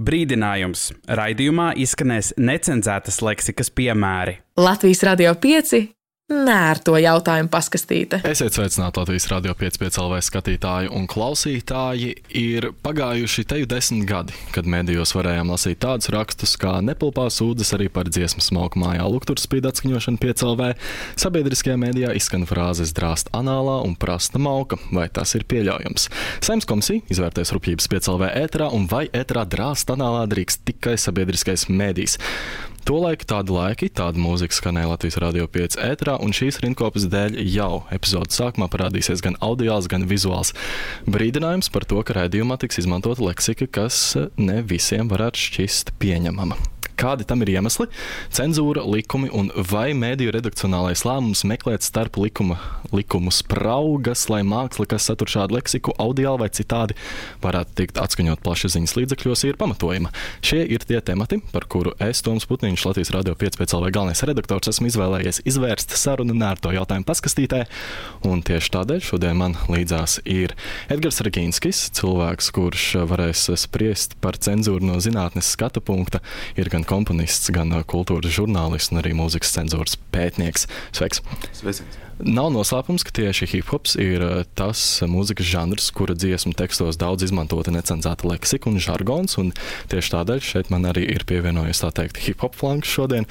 Brīdinājums. Raidījumā izskanēs necenzētas leksikas piemēri. Latvijas Radio 5 nērto jautājumu paskastīte. Esiet sveicināti Latvijas Radio 5 LV skatītāji un klausītāji. Ir pagājuši teju 10 gadi, kad medijos varējām lasīt tādus rakstus, kā nepilpā sūdzas arī par dziesmu smalku mājā luktur spīd atskaņošanu 5 LV. Sabiedriskajā medijā izskan frāzes drāst anālā un prasta mauka. Vai tas ir pieļaujams? Saimnes komisija izvērtēs rupjības 5 LV ēterā un vai ēterā drāst anālā drīkst tikai sabiedriskais medijs. Tolaik tādi laiki, tāda mūzika skanēja Latvijas Radio 5 ēterā, un šīs rindkopas dēļ jau epizodes sākumā parādīsies gan audiāls, gan vizuāls brīdinājums par to, ka raidījumā tiks izmantota leksika, kas ne visiem varētu šķist pieņemama. Kādi tam ir iemesli? Cenzūra, likumi un vai mediju redakcionālais lēmums meklēt starp likumu spraugas, lai māksla, kas satur šādu leksiku, audiāli vai citādi, varētu tikt atskaņot plašsaziņas līdzekļos, ir pamatojama. Šie ir tie temati, par kuru es, Toms Putniņš, Latvijas Radio 5 LV galvenais redaktors, esmu izvēlējies izvērst sarunu nērto jautājumu paskastītē, un tieši tādēļ šodien man līdzās ir Edgars Ragīnskis, cilvēks, kurš varēs spriest par cenzūru no zinātnes skata punkta, ir gan komponists, gan kultūras žurnālists un arī mūzikas cenzūras pētnieks. Sveiks! Sveiciens! Nav noslēpums, ka tieši hip-hops ir tas mūzikas žanrs, kura dziesmu tekstos daudz izmantota necenzēta leksika un žargons, un tieši tādēļ šeit man arī ir pievienojies, tā teikt, hip-hop flanks šodien,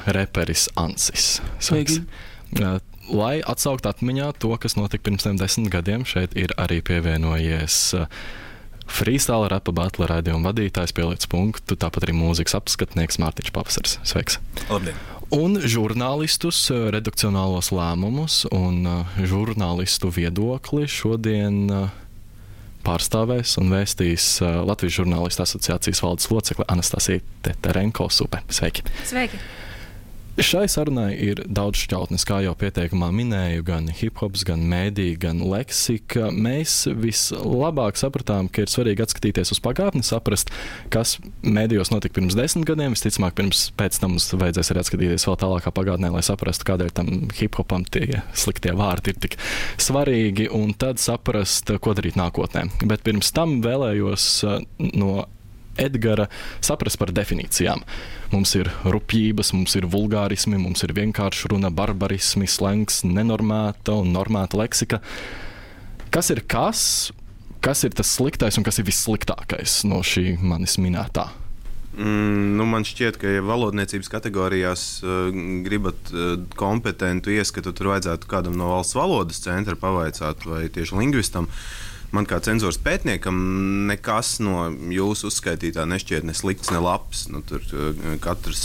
reperis Ansis. Sveiks! Lai atsaukt atmiņā to, kas notika pirms 10 gadiem, šeit ir arī pievienojies freestyle rapa battle raidījuma vadītājs Pieliec punktu, tāpat arī mūzikas apskatnieks Mārtiņš Pavasars. Sveiks! Labdien! Un žurnālistus, redakcionālos lēmumus un žurnālistu viedokli šodien pārstāvēs un vēstīs Latvijas žurnālistu asociācijas valdes locekle Anastasija Teterenko Supe. Sveiki! Sveiki! Šai sarunai ir daudz šķautnes, kā jau pieteikumā minēju, gan hip-hops, gan mēdī, gan leksika. Mēs vislabāk sapratām, ka ir svarīgi atskatīties uz pagātni, saprast, kas mēdījos notika pirms 10 gadiem. Visticamāk, pēc tam mums vajadzēs arī atskatīties vēl tālākā pagātnē, lai saprastu, kādēļ tam hip-hopam tie sliktie vārdi ir tik svarīgi, un tad saprast, ko darīt nākotnē. Bet pirms tam vēlējos no Edgara saprast par definīcijām. Mums ir rupjības, mums ir vulgārismi, mums ir vienkārši runa, barbarismi, slengs, nenormēta un normēta leksika. Kas ir tas sliktais un kas ir vissliktākais no šī manis minētā? Man šķiet, ka ja valodniecības kategorijās gribat kompetentu ieskatu, tur vajadzētu kādam no valsts valodas centra pavaicāt vai tieši lingvistam. Man kā cenzūras pētniekam nekas no jūsu uzskaitītā nešķiet ne slikts, ne labs. Tur katrs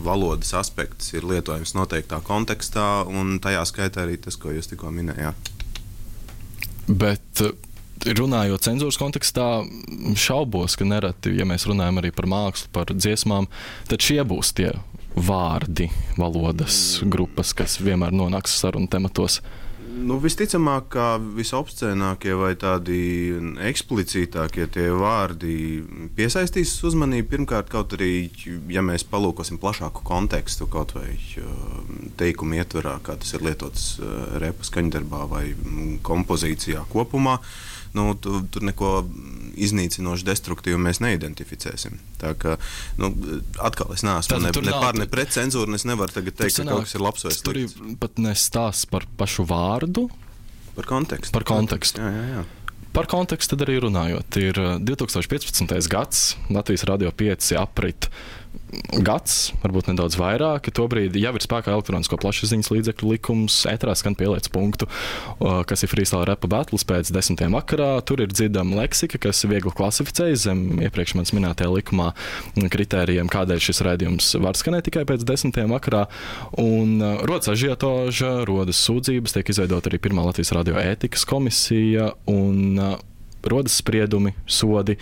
valodas aspekts ir lietojams noteiktā kontekstā, un tajā skaitā arī tas, ko jūs tikko minējāt. Bet runājot cenzūras kontekstā, šaubos, ka nereti, ja mēs runājam arī par mākslu, par dziesmām, tad šie būs tie vārdi, valodas grupas, kas vienmēr nonāks sarunu tematos. Visticamāk, kā visobscēnākie vai tādi eksplicītākie tie vārdi piesaistīs uzmanību. Pirmkārt, kaut arī, ja mēs palūkosim plašāku kontekstu, kaut vai teikumu ietverā, kā tas ir lietots repa skaņdarbā vai kompozīcijā kopumā, tur neko iznīcinoši destruktīvu mēs neidentificēsim. Tā kā, atkal es neesmu ne pār, ne pret cenzūru, es nevaru tagad teikt, ka kaut kas ir labs vai slikts. Tur ir pat nestāsts par pašu vārdu. Par kontekstu. Par kontekstu. Jā. Par kontekstu tad arī runājot. Ir 2015. gads, Latvijas Radio 5 aprit gads, varbūt nedaudz vairāk. Tobrīd jau ir spēkā elektronisko plašsaziņas līdzekļu likums, ēterā skan Pieliec punktu, kas ir freestyle rapa battles pēc 10. vakarā. Tur ir dzirdama leksika, kas viegli klasificējas zem iepriekš manis minētajā likumā kritērijiem, kādēļ šis raidījums var skanēt tikai pēc 10. vakarā. Un rodas ažiotāža, rodas sūdzības, tiek izveidota arī pirmā Latvijas Radio ētikas komisija un rodas spriedumi, sodi.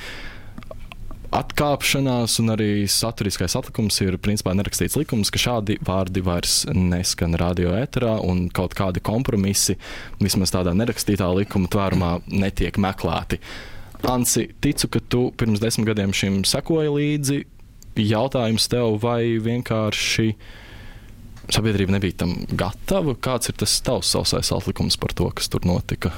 Atkāpšanās un arī saturiskais atlikums ir principā nerakstīts likums, ka šādi vārdi vairs neskan radio ēterā un kaut kādi kompromisi, vismaz tādā nerakstītā likuma tvērumā, netiek meklēti. Ansi, ticu, ka tu pirms 10 gadiem šim sekoji līdzi. Jautājums tev, vai vienkārši sabiedrība nebija tam gatava? Kāds ir tas tavs sausais atlikums par to, kas tur notika?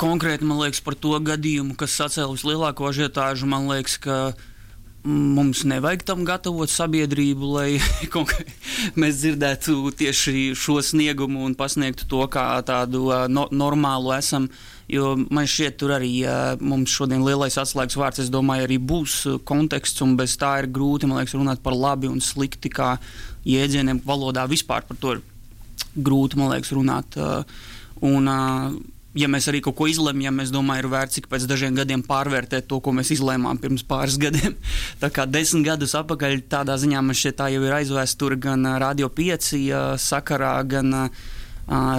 konkrēti, man liekas, par to gadījumu, kas sacēla vislielāko ažiotāžu, man liekas, ka mums nevajag tam gatavot sabiedrību, lai mēs dzirdētu tieši šo sniegumu un pasniegtu to kā tādu normālu esam. Jo man šķiet, tur arī mums šodien lielais atslēgas vārds, es domāju, arī būs konteksts, un bez tā ir grūti, man liekas, runāt par labi un slikti kā jēdzieniem valodā. Vispār par to ir grūti, man liekas, runāt. Ja mēs arī kaut ko izlemjam, es domāju, ir vērts ik pēc dažiem gadiem pārvērtēt to, ko mēs izlēmām pirms pāris gadiem. Tā kā 10 gadus atpakaļ tādā ziņā man šķiet tā jau ir aizvēsture gan Radio 5 sakarā, gan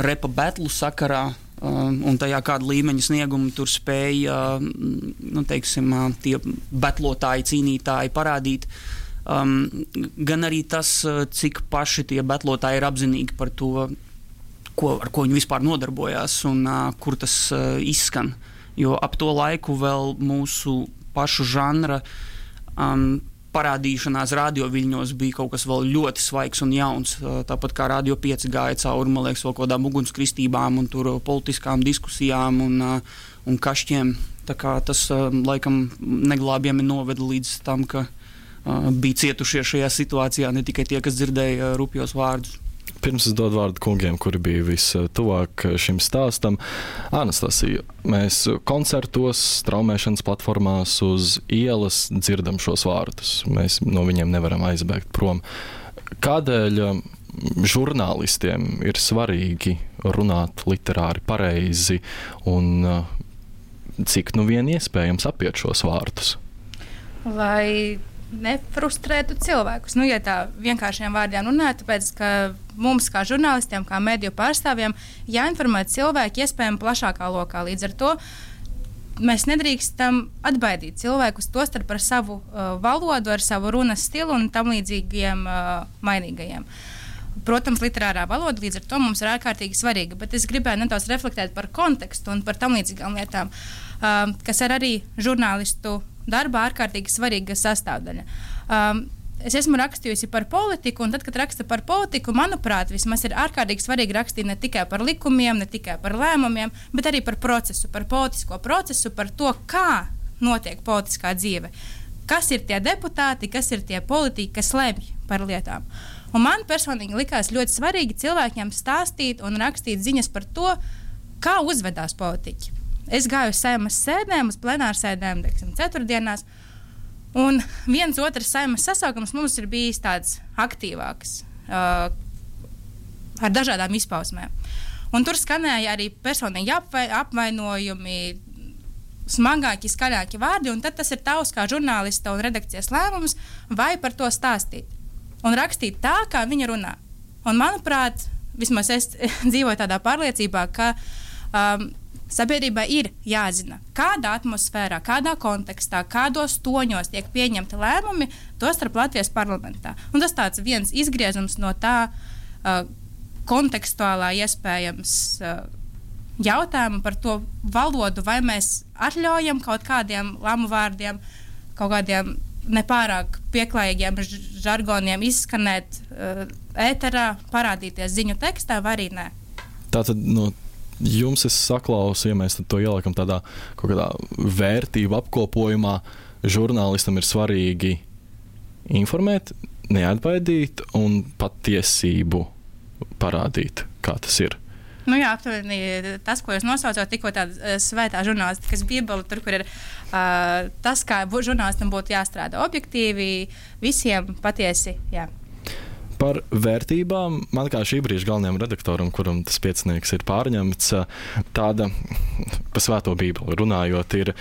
repa batlu sakarā, un tajā kāda līmeņa sniegumu tur spēja, teiksim, tie batlotāji, cīnītāji parādīt. Gan arī tas, cik paši tie batlotāji ir apzinīgi par to, ar ko viņi vispār nodarbojās un kur tas izskan. Jo ap to laiku vēl mūsu pašu žanra parādīšanās radioviļņos bija kaut kas vēl ļoti svaigs un jauns. Tāpat kā Radio 5 gāja cauri, man liekas, vēl kādām ugunskristībām un tur politiskām diskusijām un kašķiem. Tā kā tas laikam neglābjami noveda līdz tam, ka bija cietušie šajā situācijā ne tikai tie, kas dzirdēja rupjos vārdus. Pirms es dodu vārdu kungiem, kuri bija vistuvāk šim stāstam. Anastasija, mēs koncertos, straumēšanas platformās uz ielas dzirdam šos vārdus. Mēs no viņiem nevaram aizbēgt prom. Kādēļ žurnālistiem ir svarīgi runāt literāri pareizi un cik nu vien iespējams apiet šos vārdus? Lai nefrustrētu cilvēkus. Ja tā vienkāršiem vārdiem runāt, tāpēc, ka mums kā žurnālistiem, kā mediju pārstāvjiem, jāinformē cilvēki iespējami plašākā lokā. Līdz ar to mēs nedrīkstam atbaidīt cilvēkus tostarp ar savu valodu, ar savu runas stilu un tam līdzīgiem mainīgajiem. Protams, literārā valoda līdz ar to mums ir ārkārtīgi svarīga, bet es gribēju nedaudz reflektēt par kontekstu un par tam līdzīgām lietām, kas ir arī žurnālistu darbā ārkārtīgi svarīga sastāvdaļa. Es esmu rakstījusi par politiku, un tad, kad raksta par politiku, manuprāt, vismaz ir ārkārtīgi svarīgi rakstīt ne tikai par likumiem, ne tikai par lēmumiem, bet arī par procesu, par politisko procesu, par to, kā notiek politiskā dzīve. Kas ir tie deputāti, kas ir tie politiķi, kas lemj par lietām. Un man personīgi likās ļoti svarīgi cilvēkiem stāstīt un rakstīt ziņas par to, kā uzvedās politiķi. Es gāju uz Saeimas sēdēm, uz plenārsēdēm, ceturtdienās, un viens otrs Saeimas sasaukums mums ir bijis tāds aktīvāks, ar dažādām izpausmēm. Un tur skanēja arī personīgi apvainojumi, smagāki, skaļāki vārdi, un tad tas ir tavs kā žurnālista un redakcijas lēmums, vai par to stāstīt. Un rakstīt tā, kā viņa runā. Un manuprāt, vismaz es dzīvoju tādā pārliecībā, ka sabiedrībai ir jāzina, kādā atmosfērā, kādā kontekstā, kādos toņos tiek pieņemti lēmumi, tostarp Latvijas parlamentā. Un tas tāds viens izgriezums no tā kontekstuālā iespējams jautājuma par to valodu, vai mēs atļaujam kaut kādiem lamu vārdiem, kaut kādiem nepārāk pieklājīgiem žargoniem izskanēt ēterā, parādīties ziņu tekstā, vai arī nē. Tātad no jums es saklausu, ja mēs to ieliekam tādā kaut kādā vērtību apkopojumā, žurnālistam ir svarīgi informēt, neatbaidīt un patiesību parādīt, kā tas ir. Jā, aptuveni tas, ko jūs nosaucāt, tikko tāda svētā žurnālistikas bībele, tur, kur ir tas, kā žurnālistam būtu jāstrādā objektīvi, visiem patiesi, jā. Par vērtībām man kā šī brīža galvenajam redaktoram, kuram tas piecinieks ir pārņemts, tāda pa svēto bībeli runājot ir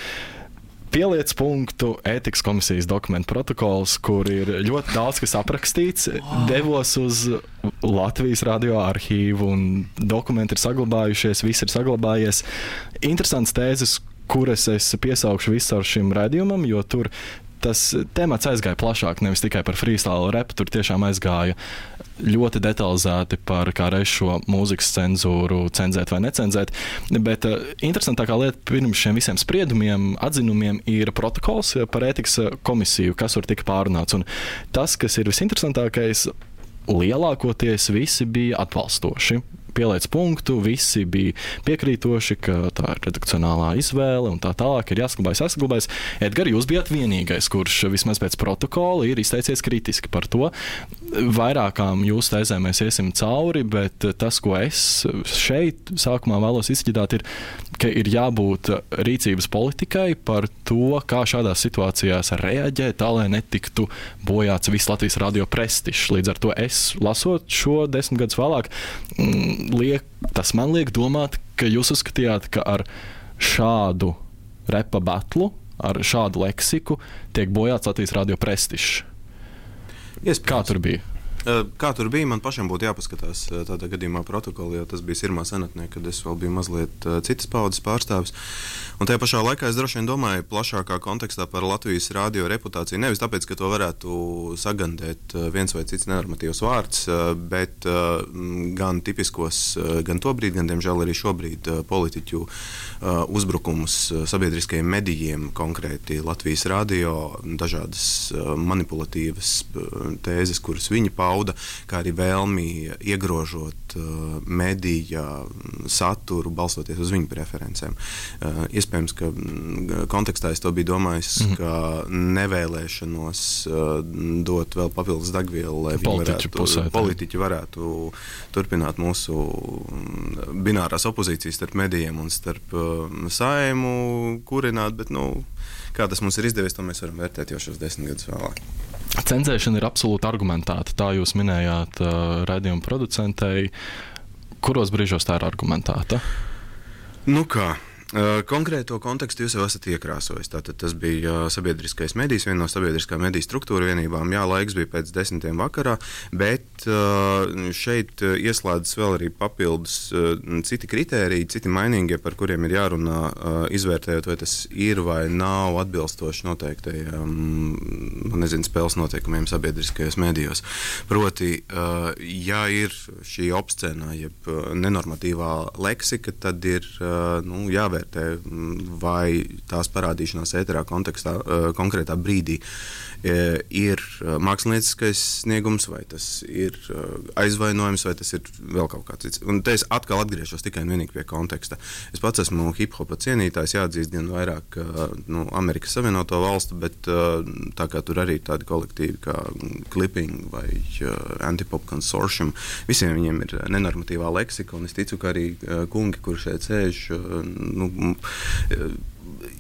pieliec punktu ētikas komisijas dokumentu protokols, kur ir ļoti daudz kas aprakstīts. Devos uz Latvijas radio arhīvu un dokumenti ir saglabājušies, viss ir saglabājies. Interesants tēzes, kuras es piesaukšu visu ar šim raidījumam, jo tur tas temats aizgāja plašāk, nevis tikai par freestyle rapu, tur tiešām aizgāja ļoti detalizēti par kā reiz šo mūzikas cenzūru, cenzēt vai necenzēt, bet interesantākā lieta pirms šiem visiem spriedumiem, atzinumiem ir protokols par ētikas komisiju, kas tur tika pārunāts, un tas, kas ir visinteresantākais, lielākoties visi bija atbalstoši. pieliec punktu, visi bija piekrītoši, ka tā ir redakcionālā izvēle un tā tālāk ir jāsaglabājas. Edgar, jūs bijat vienīgais, kurš vismaz pēc protokola ir izteicies kritiski par to. Vairākām jūsu tēzēm mēs iesim cauri, bet tas, ko es šeit sākumā vēlos izķidāt, ir, ka ir jābūt rīcības politikai par to, kā šādās situācijās reaģēt, tā, lai netiktu bojāts viss Latvijas radio prestižs. Līdz ar to es, lasot šo 10 gadus vēlāk, tas man liek domāt, ka jūs uzskatījāt, ka ar šādu repa batlu, ar šādu leksiku tiek bojāts Latvijas radio prestižs. Kā tur bija? Kā tur bija, man pašam būtu jāpaskatās tādā gadījumā protokoli, jo tas bija sirmā senatnē, kad es vēl biju mazliet citas paudzes pārstāvis. Un tajā pašā laikā es droši vien domāju plašākā kontekstā par Latvijas radio reputāciju. Nevis tāpēc, ka to varētu sagandēt viens vai cits nenormatīvs vārds, bet gan tipiskos, gan tobrīd, gan diemžēl arī šobrīd politiķu uzbrukumus sabiedriskajiem medijiem, konkrēti Latvijas radio, dažādas manipulatīvas tēzes, kuras viņi pauda, kā arī vēlmi iegrožot medija saturu, balstoties uz viņu preferencēm. Iespējams, ka kontekstā es to biju domājis, ka nevēlēšanos dot vēl papildus degvielu, lai politiķi varētu turpināt mūsu binārās opozīcijas starp medijiem un starp Saeimu kurināt, bet, kā tas mums ir izdevies, to mēs varam vērtēt jau šos 10 gadus vēlāk. Cenzēšana ir absolūti argumentēta. Tā jūs minējāt raidījuma producentei. Kuros brīžos tā ir argumentēta? Konkrēto kontekstu jūs jau esat iekrāsojis. Tātad tas bija sabiedriskais medijs, viena no sabiedriskā mediju struktūra vienībām. Jā, laiks bija pēc 10 vakarā, bet šeit ieslēdzas vēl arī papildus citi kritēriji, citi mainīgie, par kuriem ir jārunā, izvērtējot, vai tas ir vai nav atbilstoši noteiktajiem, spēles noteikumiem sabiedriskajos medijos. Proti, ja ir šī obscēnā, jeb nenormatīvā leksika, tad ir jāvērtē, vai tās parādīšanās ēterā kontekstā, konkrētā brīdī ir mākslinieckais sniegums, vai tas ir aizvainojums, vai tas ir vēl kaut kāds cits. Un te es atkal atgriežos tikai un vienīgi pie konteksta. Es pats esmu hip-hopa cienītājs, jāatzīst gan vairāk Amerikas Savienoto valstu, bet tā kā tur arī tādi kolektīvi kā Clipping vai Antipop Consortium, visiem viņiem ir nenormatīvā leksika, un es ticu, ka arī kungi, kur šeit sēž,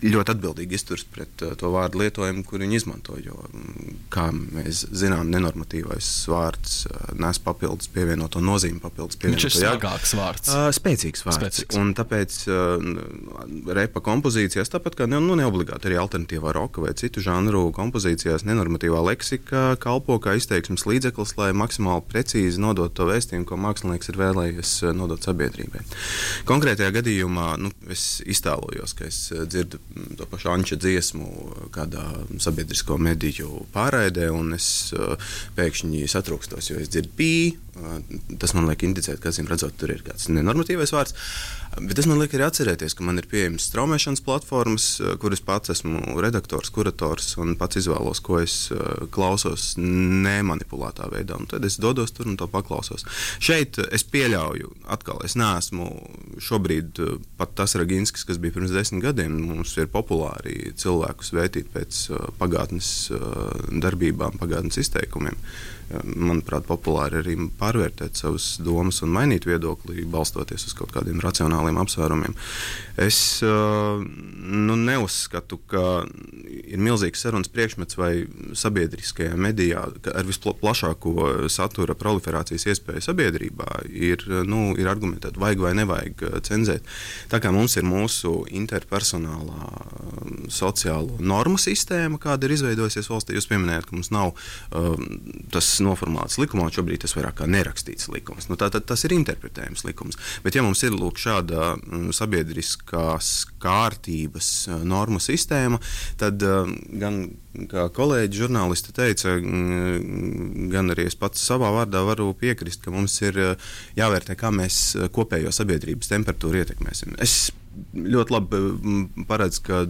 ļoti atbildīgi izturs pret to vārdu lietojumu, kur viņi izmanto, jo, kā mēs zinām, nenormatīvais vārds nes papildus pievienoto nozīmi, papildus pievienoto jēgu. Viņš ir smagāks vārds. Spēcīgs vārds. Un tāpēc repa kompozīcijās, tāpat kā neobligāti arī alternatīvā roka vai citu žanru kompozīcijās, nenormatīvā leksika kalpo kā izteiksmes līdzeklis, lai maksimāli precīzi nodot to vēstījumu, ko mākslinieks ir vēlējies nodot sabiedrībai. Konkrētajā gadījumā, es iztēlojos, ka es dzirdu to pašu Anča dziesmu kādā sabiedrisko mediju pārraidē, un es pēkšņi satrūkstos, jo es dzirdu pī. Tas man liek indicēt, ka, redzot, tur ir kāds nenormatīvais vārds. Bet tas man liek arī atcerēties, ka man ir pieejamas straumēšanas platformas, kuras pats esmu redaktors, kurators un pats izvēlos, ko es klausos nemanipulētā veidā. Un tad es dodos tur un to paklausos. Šeit es pieļauju, atkal, es neesmu šobrīd pat tas Raginskis, kas bija pirms 10 gadiem. Mums ir populāri cilvēkus vērtīt pēc pagātnes darbībām, pagātnes izteikumiem. Manuprāt, populāri arī pārvērtēt savas domas un mainīt viedokli, balstoties uz kaut kādiem racionāliem apsvērumiem. Es neuzskatu, ka ir milzīgs sarunas priekšmets vai sabiedriskajā medijā ar visplašāko satura proliferācijas iespēju sabiedrībā ir argumentēt, vajag vai nevajag cenzēt. Tā kā mums ir mūsu interpersonālā sociālo normu sistēma, kāda ir izveidojusies valstī, jūs pieminējat, ka mums nav tas noformulēts likumā, šobrīd tas vairāk kā nerakstīts likums. Tātad tas ir interpretējums likums. Bet ja mums ir šāda sabiedriskās kārtības normu sistēma, tad gan kā kolēģi žurnālisti teica, gan arī es pats savā vārdā varu piekrist, ka mums ir jāvērtē, kā mēs kopējo sabiedrības temperatūru ietekmēsim. Es ļoti labi paredz, ka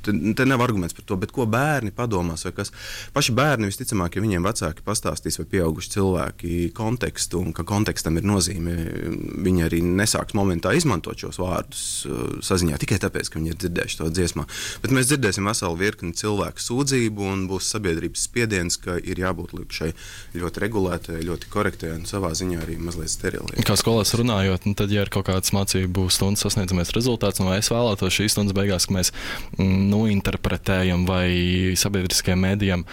te nav arguments par to, bet ko bērni padomās vai kas. Paši bērni visticamāk, ja viņiem vecāki pastāstīs vai pieauguši cilvēki kontekstu un ka kontekstam ir nozīme, viņi arī nesāks momentā izmantot šos vārdus saziņā tikai tāpēc, ka viņi ir dzirdējuši to dziesmā. Bet mēs dzirdēsim veselu virkni cilvēku sūdzību un būs sabiedrības spiediens, ka ir jābūt šai ļoti regulētai, ļoti korektai un savā ziņā arī mazliet sterilai. Kā skolās runājot, tad, ja ir kaut kāds mācību stundas sasniedzamies rezultāts, un es vēlētos šīs stundas beigās, ka mēs interpretējam vai sabiedriskajiem mēdījiem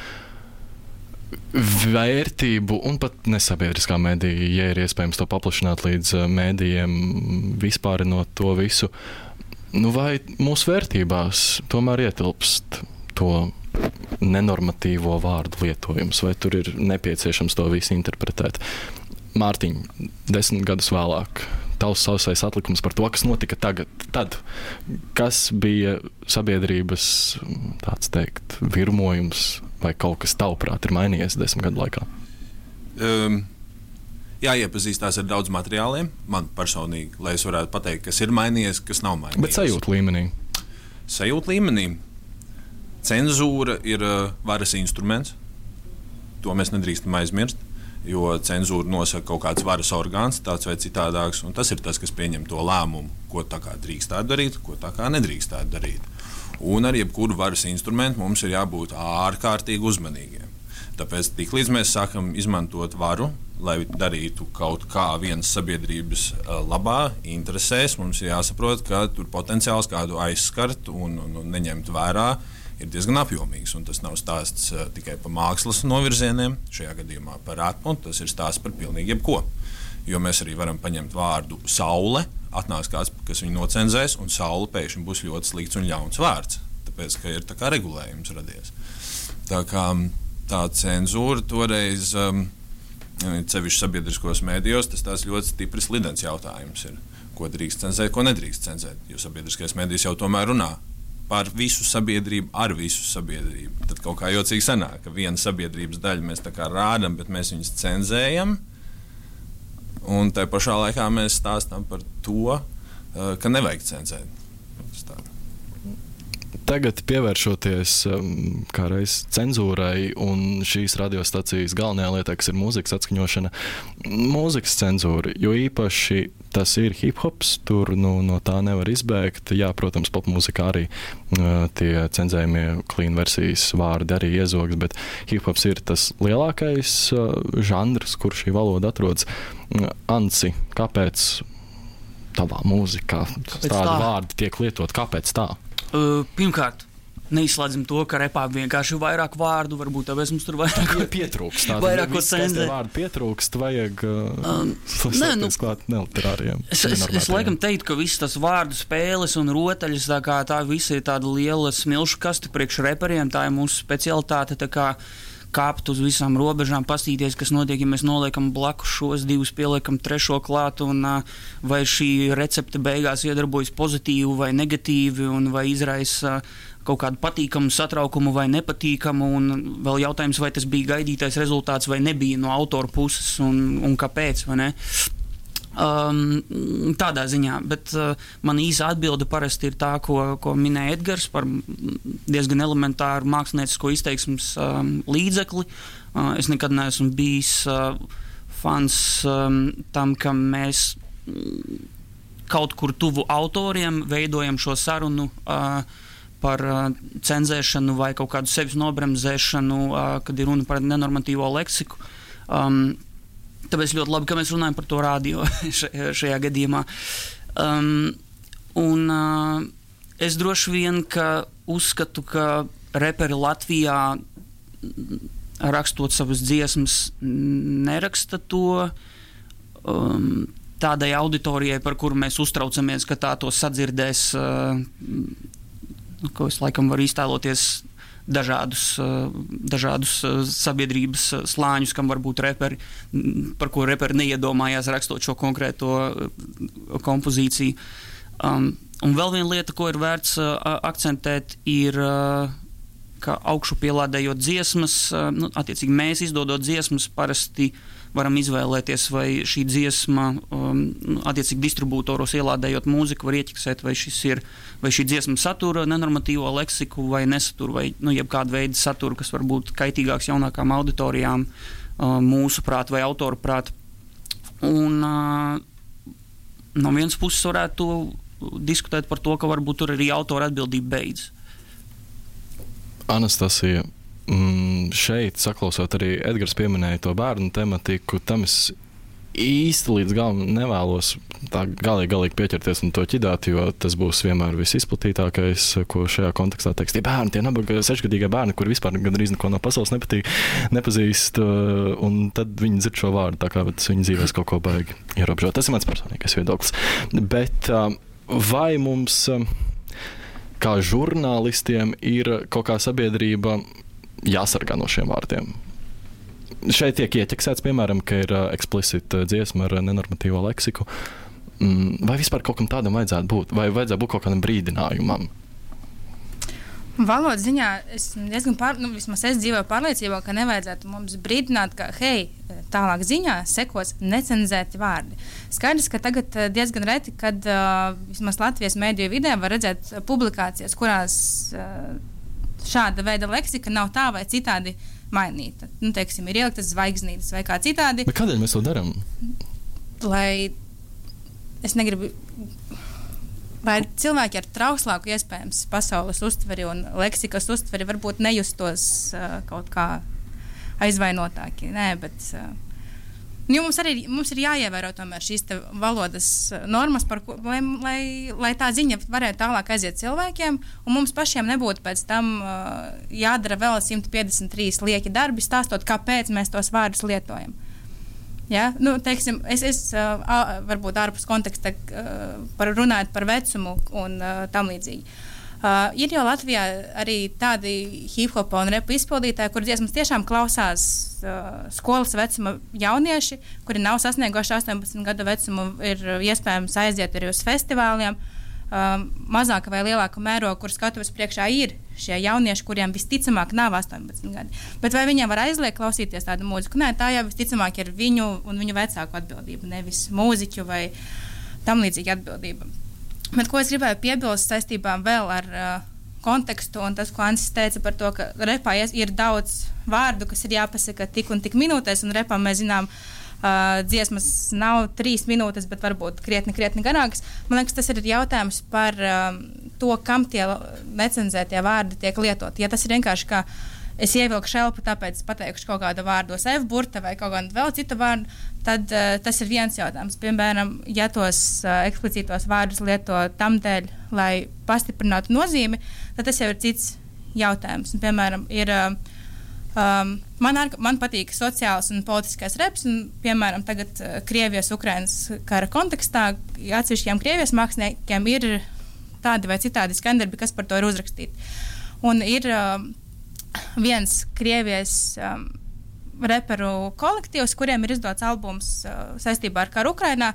vērtību un pat nesabiedriskā mēdīja, ja ir iespējams to paplašināt līdz mēdījiem, vispārinot to visu. Vai mūsu vērtībās tomēr ietilpst to nenormatīvo vārdu lietojums, vai tur ir nepieciešams to visu interpretēt? Mārtiņ, 10 gadus vēlāk, tavs sausais atlikums par to, kas notika tad, kas bija sabiedrības, tāds teikt, virmojums vai kaut kas tavuprāt ir mainījies 10 gadu laikā? Jāiepazīstās ar daudz materiāliem, man personīgi, lai es varētu pateikt, kas ir mainījies, kas nav mainījies. Bet sajūta līmenī? Sajūta līmenī. Cenzūra ir varas instruments, to mēs nedrīkstam aizmirst. Jo cenzūra nosaka kaut kāds varas orgāns, tāds vai citādāks, un tas ir tas, kas pieņem to lēmumu, ko tā kā drīkstētu darīt, ko tā kā nedrīkstētu darīt. Un ar jebkuru varas instrumentu mums ir jābūt ārkārtīgi uzmanīgiem. Tāpēc tiklīdz mēs sākam izmantot varu, lai darītu kaut kā vienas sabiedrības labā, interesēs, mums ir jāsaprot, ka tur potenciāls kādu aizskart un neņemt vērā ir diezgan apjomīgs, un tas nav stāsts tikai par mākslas novirzieniem, šajā gadījumā par ratmu, tas ir stāsts par pilnīgi jebko. Jo mēs arī varam paņemt vārdu saule, atnāks kāds, kas viņu nocenzēs, un saule pēkšņi būs ļoti slikts un ļauns vārds, tāpēc, ka ir tā kā regulējums radies. Tā kā tā cenzūra toreiz, sevišķi sabiedriskos mēdījos, tas tās ļoti stipri slidens jautājums ir, ko drīkst cenzēt, ko nedrīkst cenzēt, jo sabiedriskais mēdījis jau tomēr runā par visu sabiedrību, ar visu sabiedrību. Tad kaut kā jocīgi sanāk, ka viena sabiedrības daļa mēs tā kā rādam, bet mēs viņus cenzējam, un tai pašā laikā mēs stāstam par to, ka nevajag cenzēt. Tagad pievēršoties kādreiz cenzūrai un šīs radiostacijas galvenajā lietā, kas ir mūzikas atskaņošana, mūzikas cenzūra, jo īpaši tas ir hip-hops, tur no tā nevar izbēgt. Jā, protams, popmūzikā arī tie cenzējumie clean versijas vārdi arī iezogs, bet hip-hops ir tas lielākais žanrs, kur šī valoda atrodas. Anci, kāpēc tavā mūzikā tādi vārdi tiek lietot? Kāpēc tā? Pirmkārt, neizslēdzam to, ka repā vienkārši vairāk vārdu, varbūt tāpēc mums tur vairāk pietrūkst. Vairāk ko cenzēt. Vārdu pietrūkst, vajag slēgties klāt neliterāriem. Es laikam teiktu, ka visas tas vārdu spēles un rotaļas, tā visa ir tāda liela smilšu kaste priekš reperiem, tā ir mūsu specialitāte, tā kā kāpt uz visām robežām, pastīties, kas notiek, ja mēs noliekam blakus šos divus, pieliekam trešo klāt, un vai šī recepte beigās iedarbojas pozitīvi vai negatīvi, un vai izraisa kaut kādu patīkamu satraukumu vai nepatīkamu, un vēl jautājums, vai tas bija gaidītais rezultāts vai nebija no autora puses, un kāpēc, vai ne? Tādā ziņā, bet man īsa atbilde parasti ir tā, ko minēja Edgars par diezgan elementāru māksliniecisko izteiksmes līdzekli. Es nekad neesmu bijis fans tam, ka mēs kaut kur tuvu autoriem veidojam šo sarunu par cenzēšanu vai kaut kādu sevis nobremzēšanu, kad ir runa par nenormatīvo leksiku. Tāpēc ļoti labi, ka mēs runājam par to radio šajā gadījumā. Es droši vien, ka uzskatu, ka reperi Latvijā rakstot savas dziesmas neraksta to tādai auditorijai, par kuru mēs uztraucamies, ka tā to sadzirdēs, ko es laikam varu iztēloties dažādus sabiedrības slāņus, kam varbūt reperi, par ko reperi neiedomājās rakstot šo konkrēto kompozīciju. Un vēl viena lieta, ko ir vērts akcentēt, ir, ka augšu pielādējot dziesmas, attiecīgi mēs izdodot dziesmas parasti varam izvēlēties, vai šī dziesma, attiecīgi distribūtoros ielādējot mūziku, var ieķiksēt, vai šī dziesma satura nenormatīvo leksiku vai nesatura, vai jebkādu veidu satura, kas var būt kaitīgāks jaunākām auditorijām, mūsu prāt vai autoru prāt. Un no vienas puses varētu diskutēt par to, ka varbūt tur arī autora atbildība beidz. Anastasija, šeit saklausot arī Edgars pieminēja to bērnu tematiku, tam es īsti līdz galam nevēlos tā galīgi pieķerties un to ķidāt, jo tas būs vienmēr visizplatītākais, ko šajā kontekstā teiks. Tie bērni, tie nabaga 6-gadīgie bērni, kuri vispār gandrīz neko no pasaules nepazīst, un tad viņi dzird šo vārdu, tā kā viņi dzīvēs kaut ko baigi ierobežot. Tas ir mans personīgais viedoklis. Bet vai mums, kā žurnālistiem, ir kaut kā sabiedrība jāsargā no šiem vārdiem? Šeit tiek ieķeksēts, piemēram, ka ir explicit dziesma ar nenormatīvo leksiku. Vai vispār kaut kam tādam vajadzētu būt? Vai vajadzētu būt kaut kādam brīdinājumam? Valodas ziņā es diezgan vismaz es dzīvoju pārliecībā, ka nevajadzētu mums brīdināt, ka, hei, tālāk ziņā sekos necenzēti vārdi. Skaidrs, ka tagad diezgan reti, kad vismaz Latvijas mēdīju vidē var redzēt publikācijas, kurās šāda veida leksika nav tā vai citādi mainīta. Teiksim, ir ieliktas zvaigznītes vai kā citādi. Bet kādēļ mēs to darām? Lai es negribu, lai cilvēki ar trauslāku iespējams pasaules uztveri un leksikas uztveri varbūt nejustos kaut kā aizvainotāki. Nē, bet mums ir jāievēro tomēr šīs valodas normas, lai tā ziņa varētu tālāk aiziet cilvēkiem, un mums pašiem nebūtu pēc tam jādara vēl 153 lieki darbi, stāstot, kāpēc mēs tos vārdus lietojam. Ja? Teiksim, es varbūt ārpus konteksta runājot par vecumu un tam līdzīgi. Ir jau Latvijā arī tādi hip-hopa un repa izpildītāji, kur dziesmas tiešām klausās skolas vecuma jaunieši, kuri nav sasnieguši 18 gadu vecumu, ir iespējams aiziet arī uz festivāliem, mazāka vai lielāka mēroga, kur skatuves priekšā ir šie jaunieši, kuriem visticamāk nav 18 gadi. Bet vai viņiem var aizliegt klausīties tādu mūziku? Nē, tā jau visticamāk ir viņu un viņu vecāku atbildība, nevis mūziķu vai tam līdzīgi atbildība. Bet ko es gribēju piebilst saistībā vēl ar kontekstu un tas, ko Ansis teica par to, ka repā ir daudz vārdu, kas ir jāpasaka tik un tik minūtēs, un repā mēs zinām, dziesmas nav 3 minūtes, bet varbūt krietni garākas. Man liekas, tas ir jautājums par to, kam tie necenzētie vārdi tiek lietot. Ja tas ir vienkārši kā es ievilku šelpu, tāpēc pateikšu kaut kādu vārdu F-burta vai kaut kādu vēl citu vārdu, tad tas ir viens jautājums. Piemēram, ja tos eksplicītos vārdus lieto tam dēļ, lai pastiprinātu nozīmi, tad tas jau ir cits jautājums. Un, piemēram, ir, man patīk sociāls un politiskais reps, un, piemēram, tagad Krievijas-Ukrainas kara kontekstā atsevišķiem Krievijas māksliniekiem ir tādi vai citādi skandarbi, kas par to ir uzrakstīti. Un ir viens Krievijas reperu kolektīvs, kuriem ir izdots albums saistībā ar karu Ukrainā,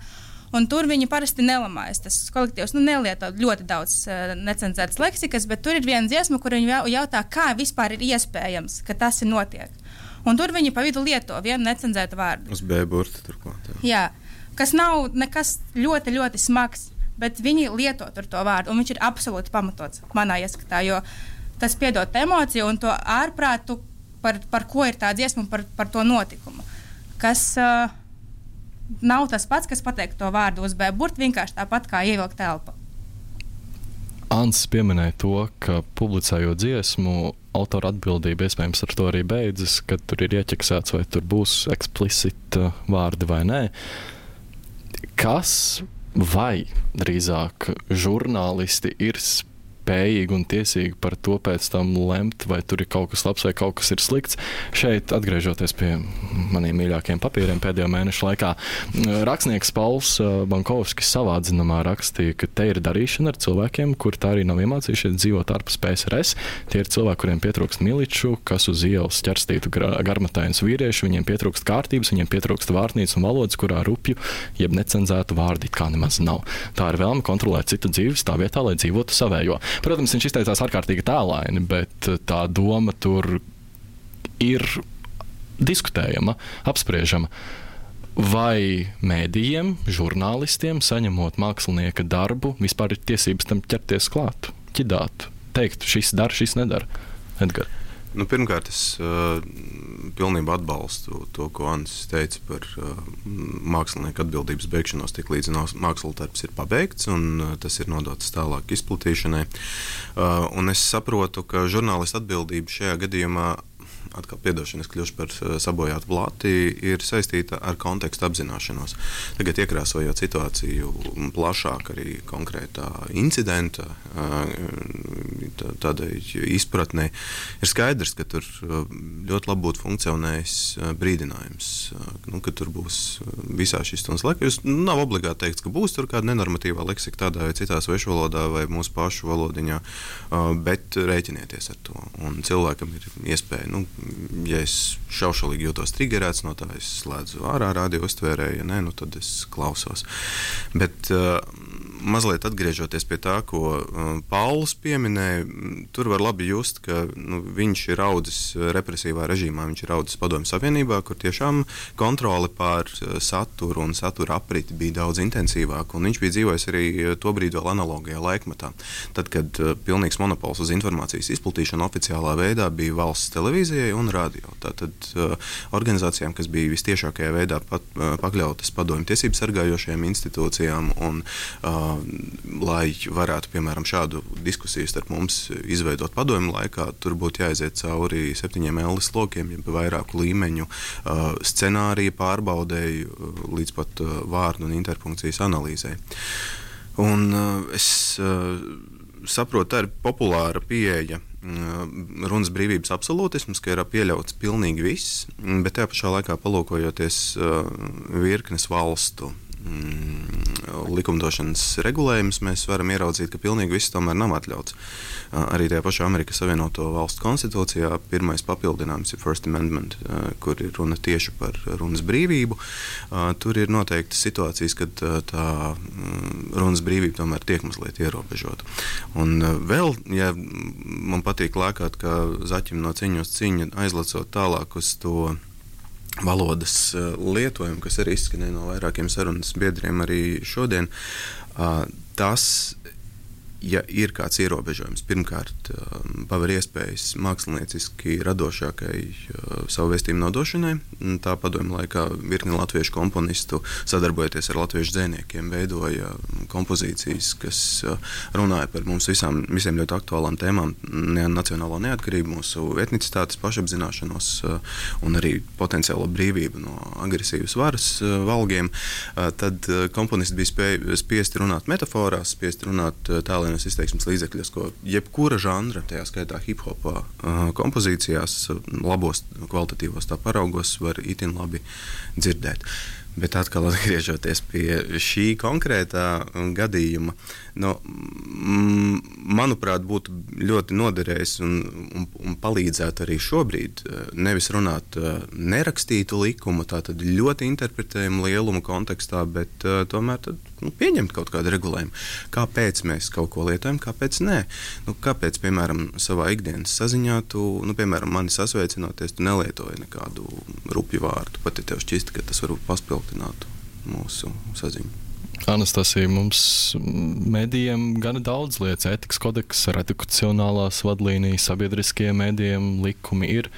un tur viņi parasti nelamājas. Tas kolektīvs nelieto ļoti daudz necenzētas leksikas, bet tur ir viena dziesma, kur viņi jautā, kā vispār ir iespējams, ka tas ir notiek. Un tur viņi pa vidu lieto vienu necenzētu vārdu. Uz B-burta turklāt. Jā, kas nav nekas ļoti, ļoti smags, bet viņi lieto tur to vārdu, un viņš ir absolūti pamatots manā ieskatā, jo tas piedod emociju un to ārprātu, par ko ir tā dziesma un par to notikumu. Kas nav tas pats, kas pateikt to vārdu uz B-burtu, vienkārši tāpat kā ievilkt telpa. Ants pieminēja to, ka publicējot dziesmu, autora atbildība iespējams ar to arī beidzas, kad tur ir ieķeksēts, vai tur būs eksplicita vārdi vai nē. Kas vai drīzāk žurnālisti ir spējīgi un tiesīgi par to pēc tam lemt, vai tur ir kaut kas labs vai kaut kas ir slikts. Šeit, atgriežoties pie maniem mīļākajiem papīriem pēdējo mēnešu laikā, rakstnieks Pauls Bankovskis savā atzinumā rakstīja, ka te ir darīšana ar cilvēkiem, kuri tā arī nav iemācījušies dzīvot ārpus PSRS. Tie ir cilvēki, kuriem pietrūkst miliču, kas uz ielas ķerstītu garmatainus vīriešu, viņiem pietrūkst kārtības, viņiem pietrūkst vārtnīcas un valodas, kurā rupju, jeb necenzētu vārdi kā nemaz nav. Tā ir vēlme kontrolēt citu dzīves tā vietā, lai dzīvotu savējo. Protams, viņš izteicās ārkārtīgi tēlaini, bet tā doma tur ir diskutējama, apspriežama. Vai mēdījiem, žurnālistiem, saņemot mākslinieka darbu, vispār ir tiesības tam ķerties klāt, ķidāt, teikt, šis dara, šis nedara? Edgar. Pirmkārt, es pilnībā atbalstu to, ko Ansis teica par mākslinieku atbildības beigšanos, tik līdz mākslas darbs ir pabeigts un tas ir nodots tālāk izplatīšanai. Un es saprotu, ka žurnālista atbildība šajā gadījumā, atkal piedošana, es kļūšu par sabojātu blāti, ir saistīta ar kontekstu apzināšanos. Tagad iekrāsojot situāciju plašāk arī konkrētā incidenta, tādai izpratnei, ir skaidrs, ka tur ļoti labi būtu funkcionējis brīdinājums, ka tur būs visā šīs stundas laikā. Jūs nav obligāti teikts, ka būs tur kāda nenormatīvā leksika tādā vai citā svešvalodā vai mūsu pašu valodiņā, bet rēķinieties ar to. Un cilvēkam ir iespēja, ja es šaušalīgi jūtos triggerēts no tā, es slēdzu ārā radio uztvērēju, ja nē, tad es klausos. Bet mazliet atgriežoties pie tā, ko Pauls pieminēja, tur var labi just, ka viņš ir audzis represīvā režīmā, viņš ir audzis Padomju Savienībā, kur tiešām kontrole pār saturu un satura apriti bija daudz intensīvāka, un viņš bija dzīvojis arī tobrīd vēl analogajā laikmatā. Tad, kad pilnīgs monopols uz informācijas izplatīšanu oficiālā veidā bija valsts televīzijai un radio. Tātad organizācijām, kas bija vistiešākajā veidā pakļautas padomju tiesību sargājošajām institūcijām un lai varētu, piemēram, šādu diskusiju starp mums izveidot padomju laikā, tur būtu jāaiziet cauri 7 L lokiem, ja vairāku līmeņu scenāriju pārbaudēju līdz pat vārdu un interpunkcijas analīzē. Un es saprotu, tā ir populāra pieeja runas brīvības absolūtisms, ka ir pieļauts pilnīgi viss, bet tajā pašā laikā palūkojoties virknes valstu likumdošanas regulējumus, mēs varam ieraudzīt, ka pilnīgi viss tomēr nav atļauts. Arī tajā pašā Amerikas Savienoto Valstu konstitūcijā pirmais papildinājums ir First Amendment, kur ir runa tieši par runas brīvību. Tur ir noteikti situācijas, kad tā runas brīvība tomēr tiek mazliet ierobežota. Un vēl, ja man patīk lēkāt, kā zaķim no ciņu uz ciņu, aizlacot tālāk uz to valodas lietojumu, kas arī izskanēja no vairākiem sarunas biedriem arī šodien, tas, ja ir kāds ierobežojums, pirmkārt, paver iespējas mākslinieciski radošākai savu vēstījumu nodošanai. Tā padomju laikā virkni latviešu komponistu, sadarbojoties ar latviešu dzejniekiem, veidoja kompozīcijas, kas runāja par mums visiem ļoti aktuālām tēmām, nacionālo neatkarību, mūsu etnicitātes pašapzināšanos un arī potenciālo brīvību no agresīvas varas valgiem. Tad komponisti bija spiesti runāt metaforās, spiesti runāt tālēnos izteiksmes līdzekļos, ko jebkura žanra, tajā skaitā hip-hopā kompozīcijās, labos kvalitatīvos tā paraugos var itin labi dzirdēt. Bet atkal atgriežoties pie šī konkrētā gadījuma, manuprāt, būtu ļoti noderējis un palīdzētu arī šobrīd nevis runāt nerakstītu likumu, tātad ļoti interpretējumu lielumu kontekstā, bet tomēr tad, pieņemt kaut kādu regulējumu. Kāpēc mēs kaut ko lietojam, kāpēc nē? Kāpēc, piemēram, savā ikdienas saziņā tu, piemēram, mani sasveicinoties, tu nelietoji nekādu rupju vārdu, pat ja tev šķisti, ka tas varbūt paspiltinātu mūsu saziņu. Anastasija, mums medijiem gana daudz lietas, ētikas kodeks, redakcionālās vadlīnijas, sabiedriskie medijiem likumi ir,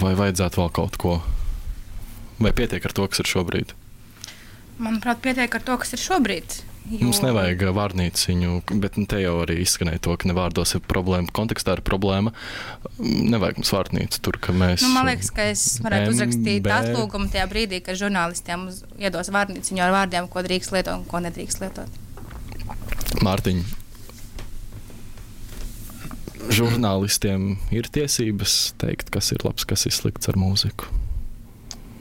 vai vajadzētu vēl kaut ko? Vai pietiek ar to, kas ir šobrīd? Manuprāt, pietiek ar to, kas ir šobrīd. Mums nevajag vārnīciņu, bet te jau arī izskanēja to, ka nevārdos ir problēma, kontekstā ir problēma. Nevajag mums vārnīcu tur, ka mēs... Man liekas, ka es varētu uzrakstīt atlūgumu tajā brīdī, kad žurnālistiem iedos vārnīciņu ar vārdiem, ko drīkst lietot un ko nedrīkst lietot. Mārtiņ, žurnālistiem ir tiesības teikt, kas ir labs, kas ir slikts ar mūziku?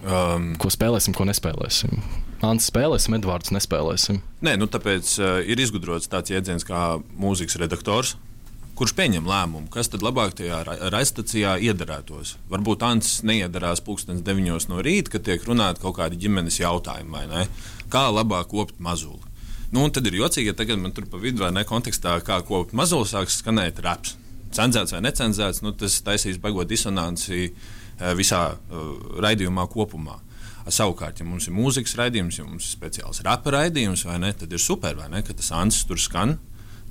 Ko spēlēsim, ko nespēlēsim? Ants spēlēsim, Edvards nespēlēsim. Nē, tāpēc ir izgudrots tāds jēdziens kā mūzikas redaktors, kurš pieņem lēmumu, kas tad labāk tajā raidstacijā iedarētos. Varbūt Ants neiedarās 9:00 no rīta, kad tiek runāti kaut kādi ģimenes jautājumi, vai ne? Kā labāk kopt mazuli. Nu, un tad ir jocīgi, ja tagad man tur pa vidu vai ne kontekstā, kā ko mazuli sāks skanēt raps. Cenzēts vai necenzēts, tas taisīs baigot disonanci visā raidījumā kopumā. Savukārt, ja mums ir mūzikas raidījums, ja mums ir speciāls rapa raidījums, vai ne, tad ir super, vai ne, ka tas Ansis tur skan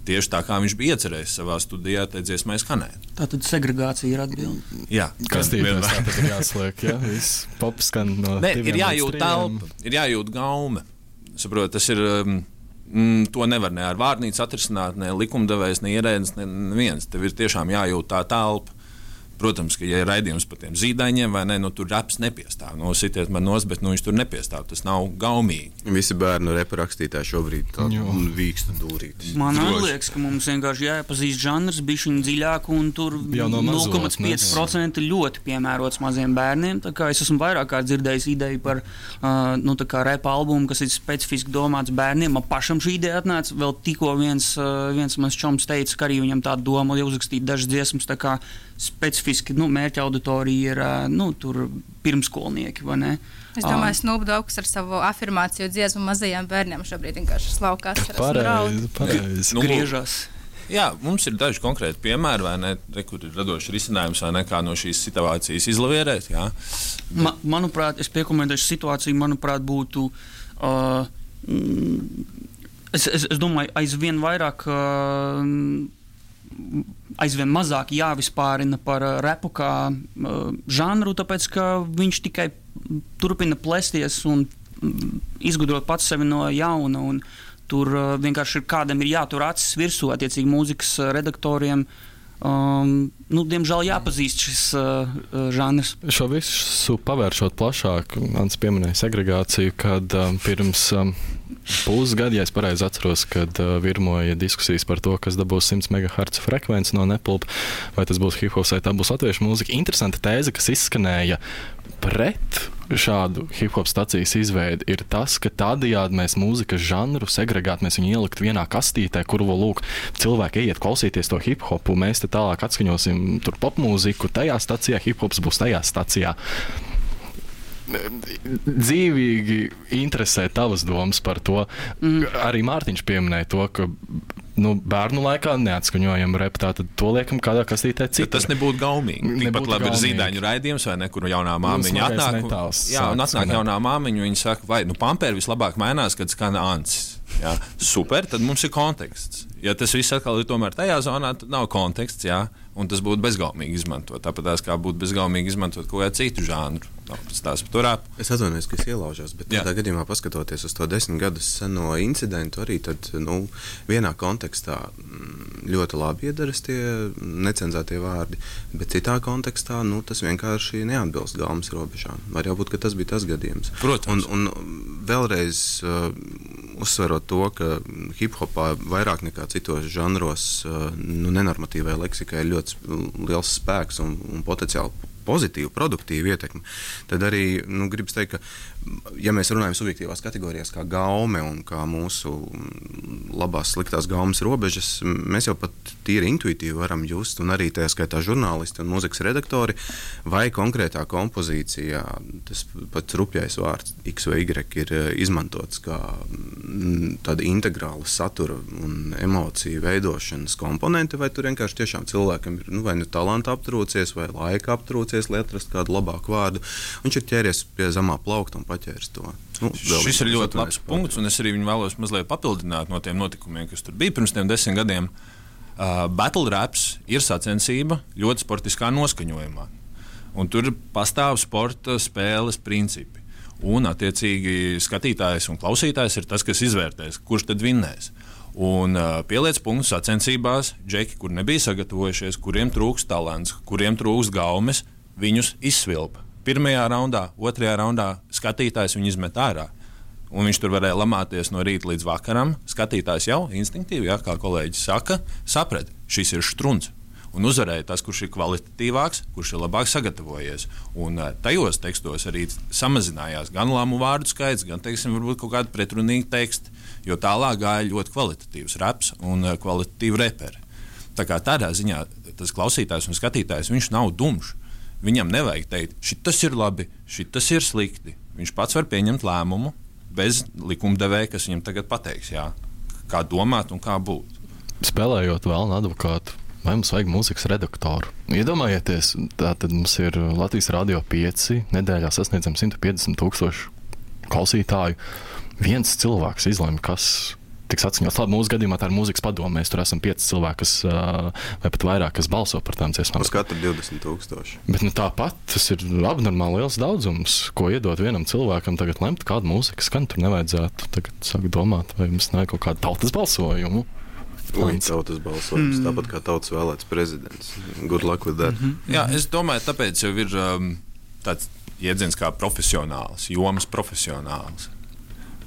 tieši tā, kā viņš bija iecerējis savā studijā, tai dziesmai skanēt. Tātad segregācija ir atbilde. Jā, kastītēs tātad ir jāsliek, jā, viss pop skan no ir jājūt telpa, ir jājūt gaume. Saprot, tas ir, to nevar ne ar vārnīcu atrisināt, ne likumdevējs, ne ierēdnis, neviens. Tev ir tiešām jājūt tā telpa. Protams, ka, ja ir raidījums par tiem zīdaiņiem, vai ne, tur raps nepiestāv. Sitiet man nost, bet viņš tur nepiestāv. Tas nav gaumīgi. Visi bērnu repa rakstītāji šobrīd vīkstu dūrītis. Man liekas, ka mums vienkārši jāiepazīst žanrs bišķiņ dziļāk, un tur 0,5% ļoti piemērots maziem bērniem. Tā kā es esmu vairāk kārt dzirdējis ideju par repa albumu, kas ir specifiski domāts bērniem. Man pašam šī ideja atnāca. Vēl tikko viens mans čoms teica, ka arī viņam tāda doma uzrakstīt dažas dziesmas, tā kā specifiski mērķa auditorija ir pirmskolnieki, vai ne? Es domāju, Snoop Dogs ar savu afirmāciju dziesmu mazajiem bērniem šobrīd vienkārši slaukās. Pareizi. Griežās. Jā, mums ir daži konkrēti piemēri, vai ne, kur ir radošs risinājums, vai ne, kā no šīs situācijas izlavierēt, jā. Manuprāt, es piekomentēšu situāciju, manuprāt, būtu es domāju, aizvien mazāk jāvispārina par repu kā žanru, tāpēc, ka viņš tikai turpina plēsties un izgudrot pats sevi no jauna, un tur vienkārši kādam ir jātur acis virsū, attiecīgi mūzikas redaktoriem. Diemžēl jāpazīst šis žanrs. Šo visu pavēršot plašāk, Ants pieminēja segregāciju, kad pirms pusgadu, ja es pareizi atceros, kad virmoja diskusijas par to, kas dabūs 100 MHz frekvenci no Nepulpa, vai tas būs hip-hops, vai tā būs latviešu mūzika. Interesanta tēze, kas izskanēja pret šādu hip-hop stacijas izveidi, ir tas, ka tādējādi mēs mūzikas žanru segregētu, mēs viņu ielikt vienā kastītē, kur cilvēki iet klausīties to hip-hopu, mēs te tālāk atskaņosim tur popmūziku, tajā stacijā hip-hops būs tajā stacijā. Dzīvīgi interesē tavas domas par to. Arī Mārtiņš pieminēja to, ka bērnu laikā neatskaņojam repu, tātad to liekam kādā kastītē citur. Tas nebūtu gaumīgi. Tikpat labi ir zīdaiņu raidījums, vai ne, kur jaunā māmiņa atnāk jaunā māmiņa, viņa saka, vai pampēri vislabāk mainās, kad skan Ansis. Jā, super, tad mums ir konteksts. Ja tas viss atkal ir tomēr tajā zonā, tad nav konteksts, jā, un tas būtu bezgaumīgi izmantot. Tāpat kā būtu bezgaumīgi izmantot kaut kādu citu žānru. Es atvainojos, ka es ielaužos, bet tādā gadījumā paskatoties uz to 10 gadus seno incidentu, arī tad, vienā kontekstā ļoti labi iedaras tie necenzētie vārdi, bet citā kontekstā, tas vienkārši neatbilst gaumas robežām. Var jau būt, ka tas bija tas gadījums. Protams. Un vēlreiz uzsverot to, ka hip-hopā vairāk nekā citos žanros nenormatīvai leksikai ir ļoti liels spēks un potenciāli pozitīvu, produktīvu ietekmi, tad arī gribas teikt, ka ja mēs runājam subjektīvās kategorijās kā gaume un kā mūsu labās sliktās gaumas robežas, mēs jau pat tīri intuitīvi varam just, un arī tajā skaitā žurnālisti un mūzikas redaktori, vai konkrētā kompozīcijā tas pats rupjais vārds X vai Y ir izmantots kā tāda integrāla satura un emociju veidošanas komponente, vai tur vienkārši tiešām cilvēkam ir vai talanta aptrūcies, vai laika aptrūcies, lai atrastu kādu labāku vārdu. Viņš ir ķēries pie zemā plaukta un paķēris to. Šis ir ļoti labs punkts, un es arī viņu vēlos mazliet papildināt no tiem notikumiem, kas tur bija pirms 10 gadiem. Battle raps ir sacensība ļoti sportiskā noskaņojumā. Un tur pastāv sporta spēles principi. Un, attiecīgi, skatītājs un klausītājs ir tas, kas izvērtēs, kurš tad vinnēs. Un pieliec punktu sacensībās, džeki, kur nebija sagatavojušies, kuriem trūks talants, kuriem trūks gaumes, viņus izsvilpa. Pirmajā raundā, otrajā raundā skatītājs viņu izmet ārā. Un viņš tur varēja lamāties no rīta līdz vakaram. Skatītājs jau instinktīvi, kā kolēģis saka, saprat, šis ir štruns. Un uzvarēja tas, kurš ir kvalitatīvāks, kurš ir labāk sagatavojies. Un tajos tekstos arī samazinājās gan lāmu vārdu skaits, gan, varbūt kaut kādi pretrunīgi teksti, jo tālāk gāja ļoti kvalitatīvs raps un kvalitatīvi reperi. Tā kā tādā ziņā tas klausītājs un skatītājs, viņš nav dumšs. Viņam nevajag teikt, šitas ir labi, šitas ir slikti. Viņš pats var pieņemt lēmumu bez likumdevēja, kas viņam tagad pateiks, jā. kā domāt un kā būt. Spēlējot vēlnu advokātu, vai mums vajag mūzikas redaktoru? Iedomājieties, tātad mums ir Latvijas Radio 5, nedēļā sasniedzam 150,000 klausītāju. Viens cilvēks izlemj, kas tiks atskaņots. Labi, mūsu gadījumā tā ir mūzikas padome. Mēs tur esam 5 cilvēki, kas, vai pat vairāk, kas balso par tām dziesmām. Uz katru 20,000. Bet tāpat tas ir abnormāli liels daudzums, ko iedot vienam cilvēkam tagad lemt, kādu mūziku skan. Tur nevajadzētu tagad sākt domāt, vai mums nav kaut kādu tautas balsojumu. Tautas balsojums, tāpat kā tautas vēlēts prezidents. Good luck with that. Jā, es domāju, tāpēc jau ir tāds jēdziens kā profesionāls, jomas profesionāls.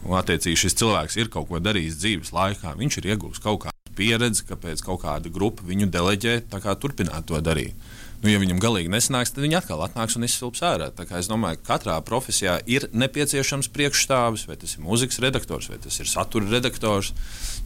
Un, attiecīgi, šis cilvēks ir kaut ko darījis dzīves laikā. Viņš ir iegūst kaut kādu pieredzi, kāpēc kaut kāda grupa viņu deleģē, tā kā turpināt to darīt. Nu, ja viņam galīgi nesanāks, tad viņi atkal atnāks un izsilps ārā. Tā kā es domāju, ka katrā profesijā ir nepieciešams priekšstāvis, vai tas ir mūzikas redaktors, vai tas ir satura redaktors.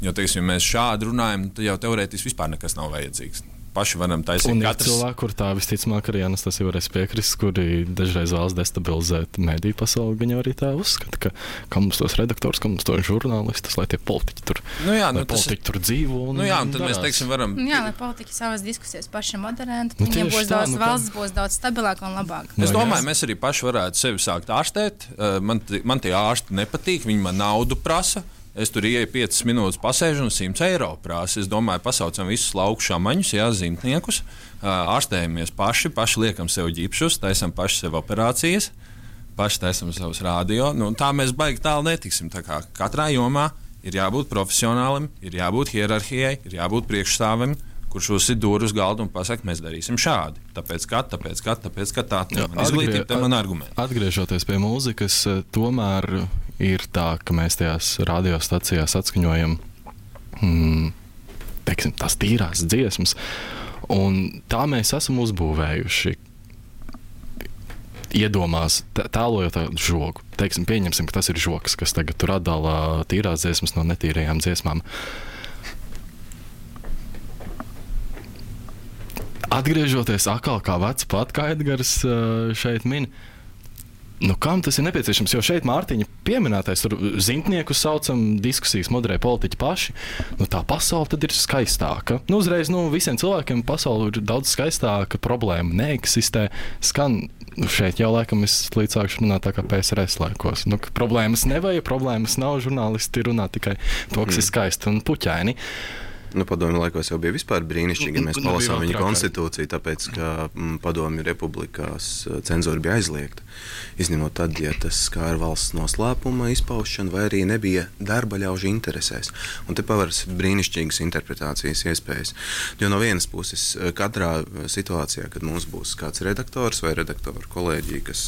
Jo, teiksim, ja mēs šādi runājam, tad jau teorētiski vispār nekas nav vajadzīgs. Paši varam taisīt un katrs. Un ir cilvēki, kur tā visticamāk arī Anastasija varēs piekrist, kuri dažreiz vēlas destabilizēt mediju pasauli, viņi arī tā uzskata, ka mums tos redaktors, ka mums tos žurnālistus, lai tie politiķi tur, politiķi tur dzīvo. Nu jā, un tad mēs, teiksim, varam... Jā, lai politiķi savas diskusijas paši moderētu, viņiem būs daudz, valsts būs daudz stabilāk un labāk. Es domāju, mēs arī paši varētu sevi sākt ārstēt. Man tie ārsti nepatīk, viņi man naudu prasa. Es tur ieeju 5 minūtes pasēžu un 100 eiro prasa. Es domāju, pasaucam visus lauku šamaņus, zimtniekus, ārstējamies paši liekam sev ģipšus, taisam paši sev operācijas, paši taisam savus radio. Nu, tā mēs baigi tālu netiksim. Tā kā katrā jomā ir jābūt profesionālim, ir jābūt hierarhijai, ir jābūt priekšstāvim, kurš uzsit dūru uz galdu un pasaka, mēs darīsim šādi. Tāpēc tā man izglītība, te man argumenti. Atgriežoties pie mūzikas, tomēr ir tā, ka mēs tajās radiostacijās atskaņojam teiksim, tās tīrās dziesmas, un tā mēs esam uzbūvējuši iedomās, tēlojot tādu žogu. Teiksim, pieņemsim, ka tas ir žogs, kas tagad tur atdala tīrās dziesmas no netīrajām dziesmām. Atgriežoties atkal kā vecs pat, kā Edgars šeit min, nu kam tas ir nepieciešams? Jo šeit Mārtiņa pieminētais, tur zimtniekus saucam, diskusijas moderē politiķi paši, nu tā pasaule tad ir skaistāka. Nu uzreiz, visiem cilvēkiem pasaule ir daudz skaistāka, problēma neeksistē, skan, šeit jau laikam es līdz sākšu runāt tā kā PSRS laikos. Nu, problēmas nevajag, problēmas nav, žurnālisti runā tikai to, kas ir skaisti un puķaini. Nu, padomju laikos jau bija vispār brīnišķīgi, ja mēs palasām viņa konstitūciju, tāpēc, ka padomju republikās cenzūra bija aizliegta. Izņemot tad, ja tas skāra valsts noslēpuma izpaušanu vai arī nebija darba ļaužu interesēs. Un te paveras brīnišķīgas interpretācijas iespējas. Jo no vienas puses, katrā situācijā, kad mums būs kāds redaktors vai redaktoru kolēģija, kas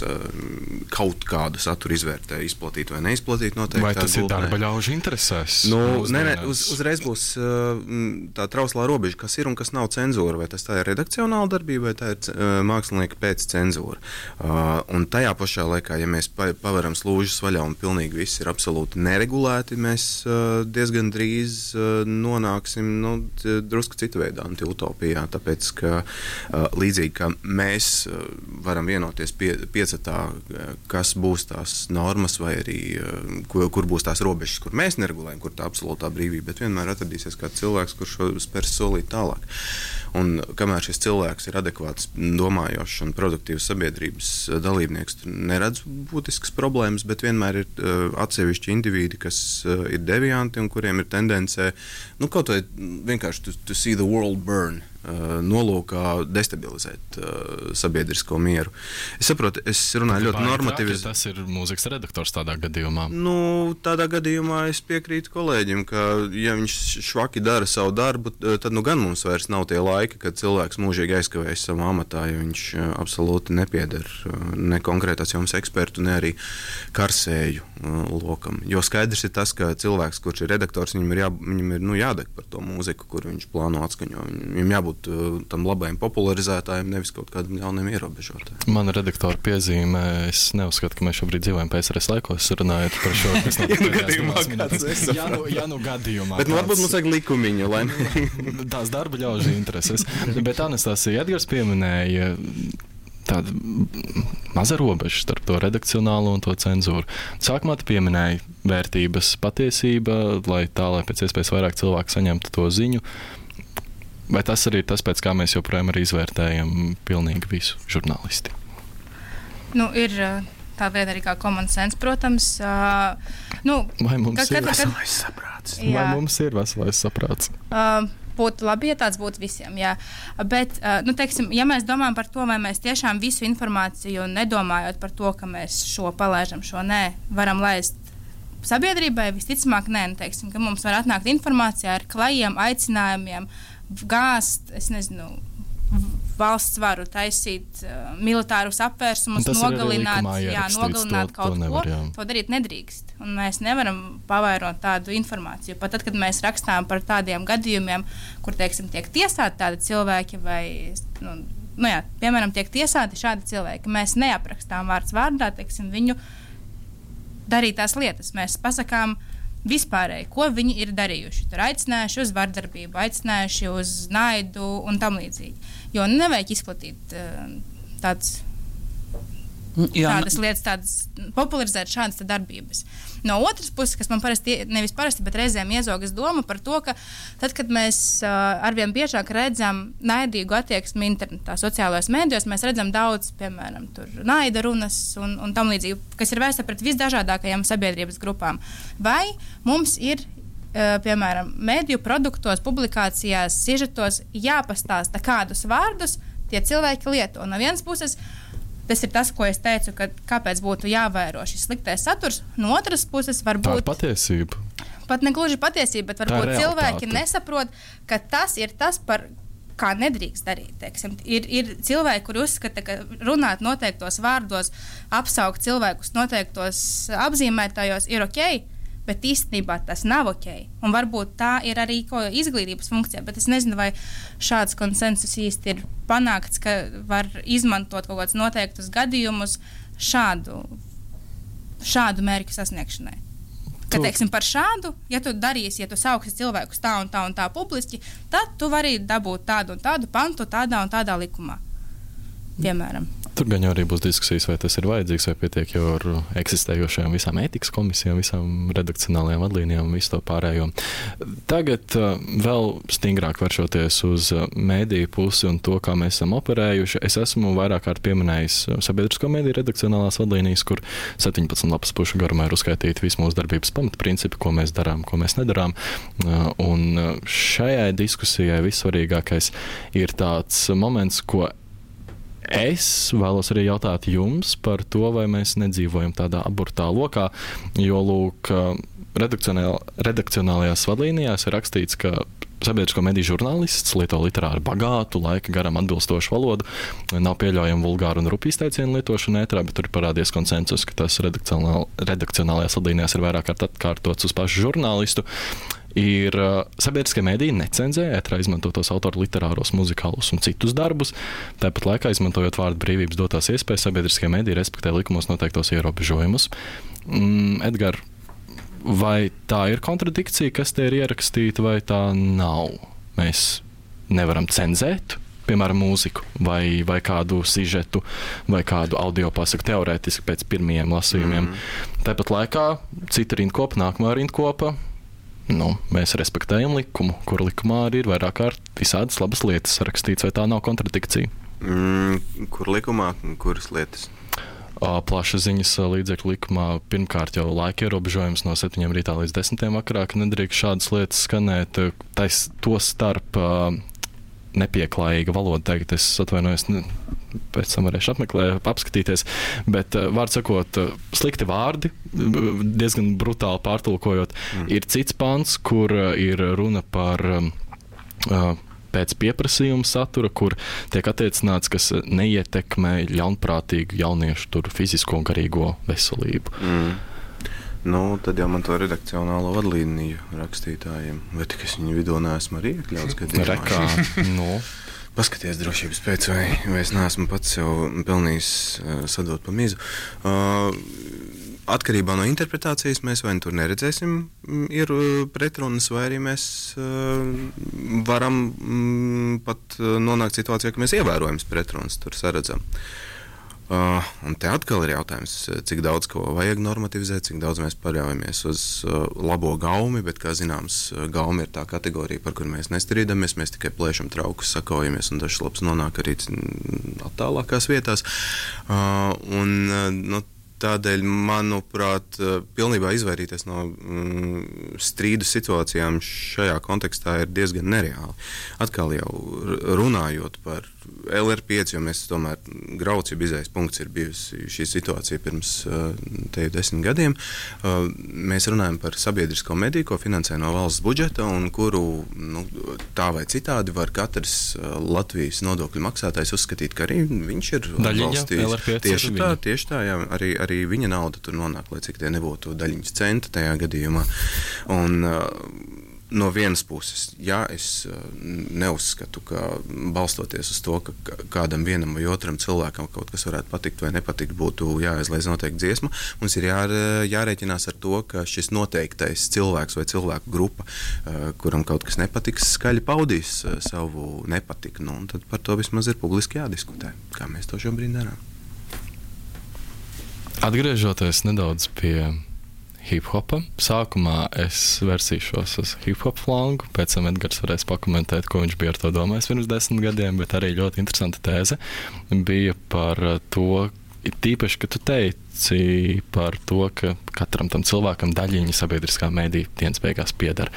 kaut kādu saturu izvērtē, izplatīt vai neizplatīt noteikti. Vai tas ir darba ļaužu interesēs? Uzreiz būs tā trauslā robeža, kas ir un kas nav cenzūra, vai tas tā ir redakcionāla darbība, vai tā ir mākslinieka pēc cenzūra. Un tajā pašā laikā, ja mēs pavaram slūžas vaļā un pilnīgi viss ir absolūti neregulēti, mēs diezgan drīz nonāksim drusku citu veidā utopijā, tāpēc, ka līdzīgi, ka mēs varam vienoties piecatā, kas būs tās normas vai arī kur būs tās robežas, kur mēs neregulējam, kur tā absolūtā brīvība, bet vienmēr atradīsies kāds cilvēks, kurš spērs solīt tālāk. Un kamēr šis cilvēks ir adekvāts, domājošs un produktīvs sabiedrības dalībnieks, tur neredz būtiskas problēmas, bet vienmēr ir atsevišķi indivīdi, kas ir devianti un kuriem ir tendence, kaut vai vienkārši to see the world burn, nolūkā destabilizēt sabiedrisko mieru. Es saprotu, es runāju ļoti normatīvi. Tas ir mūzikas redaktors tādā gadījumā. Tādā gadījumā es piekrītu kolēģim, ka ja viņš švaki dara savu darbu, tad gan mums vairs nav tie laiki, kad cilvēks mūžīgi aizkavējas savā amatā, jo viņš absolūti nepieder ne konkrētās jomas ekspertu, ne arī karsēju lokam. Jo skaidrs ir tas, ka cilvēks, kurš ir redaktors, viņam ir jādeg par to mūziku, kur viņš plāno atskaņo. Viņam jābūt tam labajam popularizētājiem, nevis kaut kādam ļauniem ierobežotājiem. Mana redaktora piezīme, es neuzskatu, ka mēs šobrīd dzīvojam PSRS laikos, runājot par šo, kas gadījumā. Bet varbūt mums vajag likumiņu, lai tās darba ļaužu intereses. Bet Anastasija, Edgars pieminēja tāda maza robeža starp to redakcionālo un to cenzūru. Sākumā tu pieminēji vērtības patiesība, lai pēc iespējas vairāk cilvēku saņemtu to ziņu. Vai tas arī ir tas, pēc kā mēs joprojām arī izvērtējam pilnīgi visu žurnālisti? Ir tā lieta arī kā common sense, protams. Vai mums ir veselais saprāts? Vai mums ir veselais saprāts? Būtu labi, ja tāds būtu visiem, jā. Bet, teiksim, ja mēs domājam par to, vai mēs tiešām visu informāciju, nedomājot par to, ka mēs šo palaižam, šo nē, varam laist sabiedrībai, visticamāk, nē, teiksim, ka mums var atnākt informācija ar klajiem aicinājumiem, gāzt, es nezinu, valsts varu taisīt militārus apvērsumus, nogalināt kaut ko. To darīt nedrīkst. Un mēs nevaram pavairot tādu informāciju. Pat tad, kad mēs rakstām par tādiem gadījumiem, kur, teiksim, tiek tiesāti tādi cilvēki vai, piemēram, tiek tiesāti šādi cilvēki, mēs neaprakstām vārds vārdā, teiksim, viņu darītās lietas. Mēs pasakām vispārēji, ko viņi ir darījuši. Tur aicinājuši uz vardarbību, aicinājuši uz naidu un tam līdzīgi. Jo nevajag izplatīt tādas lietas, popularizēt šādas darbības. No otras puses, kas man nevis parasti, bet reizēm iezogas doma par to, ka tad, kad mēs arvien biežāk redzam naidīgu attieksmi internetā, sociālajos mēdījos, mēs redzam daudz, piemēram, tur naida runas un tam līdzīgi, kas ir vērsta pret visdažādākajām sabiedrības grupām. Vai mums ir, piemēram, mēdīju produktos, publikācijās, sižetos jāpastāsta, kādus vārdus tie cilvēki lieto? No vienas puses, tas ir tas, ko es teicu, ka kāpēc būtu jāvēro šis sliktais saturs. No otras puses, varbūt... Tā ir patiesība. Pat ne gluži patiesība, bet varbūt cilvēki nesaprot, ka tas ir tas, par kā nedrīkst darīt. Teiksim. Ir cilvēki, kuri uzskata, ka runāt noteiktos vārdos, apsaukt cilvēkus noteiktos apzīmētājos ir ok, bet īstenībā tas nav ok. Un varbūt tā ir arī izglītības funkcija, bet es nezinu, vai šāds konsensus īsti ir panākts, ka var izmantot kaut kādus noteiktus gadījumus šādu mērķu sasniegšanai. Ka, teiksim, par šādu, ja tu darīsi, ja tu sauksi cilvēkus tā un tā publiski, tad tu vari dabūt tādu un tādu pantu tādā un tādā likumā. Piemēram. Tur gan jau arī būs diskusijas, vai tas ir vajadzīgs, vai pietiek jau ar eksistējošajām visām ētikas komisijām, visām redakcionālajām vadlīnijām un visu to pārējo. Tagad vēl stingrāk vēršoties uz mēdīju pusi un to, kā mēs esam operējuši. Es esmu vairāk kārt pieminējis sabiedrisko mēdīju redakcionālās vadlīnijas, kur 17 lapas pušu garumā ir uzskaitīti visi mūsu darbības pamatprincipi, ko mēs darām, ko mēs nedarām. Un šajai diskusijai vissvarīgākais ir tāds moments, ko es vēlos arī jautāt jums par to, vai mēs nedzīvojam tādā aburtā lokā, jo, lūk, redakcionālajās vadlīnijās ir rakstīts, ka sabiedrisko mediju žurnālists lieto literāri bagātu, laika garam atbilstošu valodu, nav pieļaujama vulgāru un rupju izteicienu lietošana ētrā, bet tur ir parādies konsensus, ka tas redakcionālajās vadlīnijās ir vairāk kārt atkārtots uz pašu žurnālistu. Ir sabiedriskie mediji necenzē ētrā izmantotos autoru literāros, muzikālos un citus darbus. Tāpat laikā, izmantojot vārdu brīvības dotās iespējas, sabiedriskie mediji respektē likumos noteiktos ierobežojumus. Edgar, vai tā ir kontradikcija, kas te ir ierakstīta, vai tā nav? Mēs nevaram cenzēt, piemēram, mūziku vai kādu sižetu vai kādu audio pasaku teorētiski pēc pirmajiem lasījumiem. Tāpat laikā cita rindkopa, nākamā rindkopa. Mēs respektējam likumu, kur likumā arī ir vairāk kārt visādas labas lietas rakstīts, vai tā nav kontradikcija? Kur likumā, kuras lietas? Plašsaziņas līdzekļu likumā pirmkārt jau laika ierobežojums no 7 rītā līdz 10 vakarā, ka nedrīkst šādas lietas skanēt. To starp nepieklājīga valoda, tagad es atvainojos, pēc tam varēšu apskatīties, bet vārds sakot, slikti vārdi, diezgan brutāli pārtulkojot, ir cits pants, kur ir runa par pēc pieprasījuma satura, kur tiek attiecināts, kas neietekmē ļaunprātīgu jauniešu tur fizisko un garīgo veselību. Tad jau man to redakcionālo vadlīniju rakstītājiem, vai tik es viņu vidū neesmu arī iekļauts gadījumā. Paskaties drošības pēc, vai es neesmu pats jau pelnījis sadot pa mizu. Atkarībā no interpretācijas mēs vai tur neredzēsim ir pretrunas, vai arī mēs varam pat nonākt situācijā, ka mēs ievērojams pretrunas tur saredzam. Un te atkal ir jautājums, cik daudz ko vajag normativizēt, cik daudz mēs paļaujamies uz labo gaumi, bet, kā zināms, gaumi ir tā kategorija, par kuru mēs nestrīdamies, mēs tikai plēšam traukus, sakaujamies, un dažs labs nonāk arī attālākās vietās. Tādēļ, manuprāt, pilnībā izvairīties no strīdu situācijām šajā kontekstā ir diezgan nereāli. Atkal jau runājot par LR5, jo mēs tomēr graucība izējas punkts ir bijusi šī situācija pirms 10 gadiem. Mēs runājam par sabiedrisko mediju, ko finansē no valsts budžeta un kuru tā vai citādi var katrs Latvijas nodokļu maksātājs uzskatīt, ka arī viņš ir atbalstījis. Tieši tā, jā, arī viņa nauda tur nonāk, lai cik tie nebūtu daļiņas centa tajā gadījumā. Un no vienas puses, jā, es neuzskatu, ka balstoties uz to, ka kādam vienam vai otram cilvēkam kaut kas varētu patikt vai nepatikt, būtu jāizlaiž noteikti dziesma. Mums ir jārēķinās ar to, ka šis noteiktais cilvēks vai cilvēku grupa, kuram kaut kas nepatiks, skaļi paudīs savu nepatiku. Un tad par to vismaz ir publiski jādiskutē, kā mēs to šobrīd darām. Atgriežoties nedaudz pie hip-hopa, sākumā es versīšos uz hip-hop flangu, pēc tam Edgars varēs pakomentēt, ko viņš bija ar to domājis pirms 10 gadiem, bet arī ļoti interesanta tēze bija par to, tīpaši, ka tu teici par to, ka katram tam cilvēkam daļiņa sabiedriskā medija dienas beigās pieder.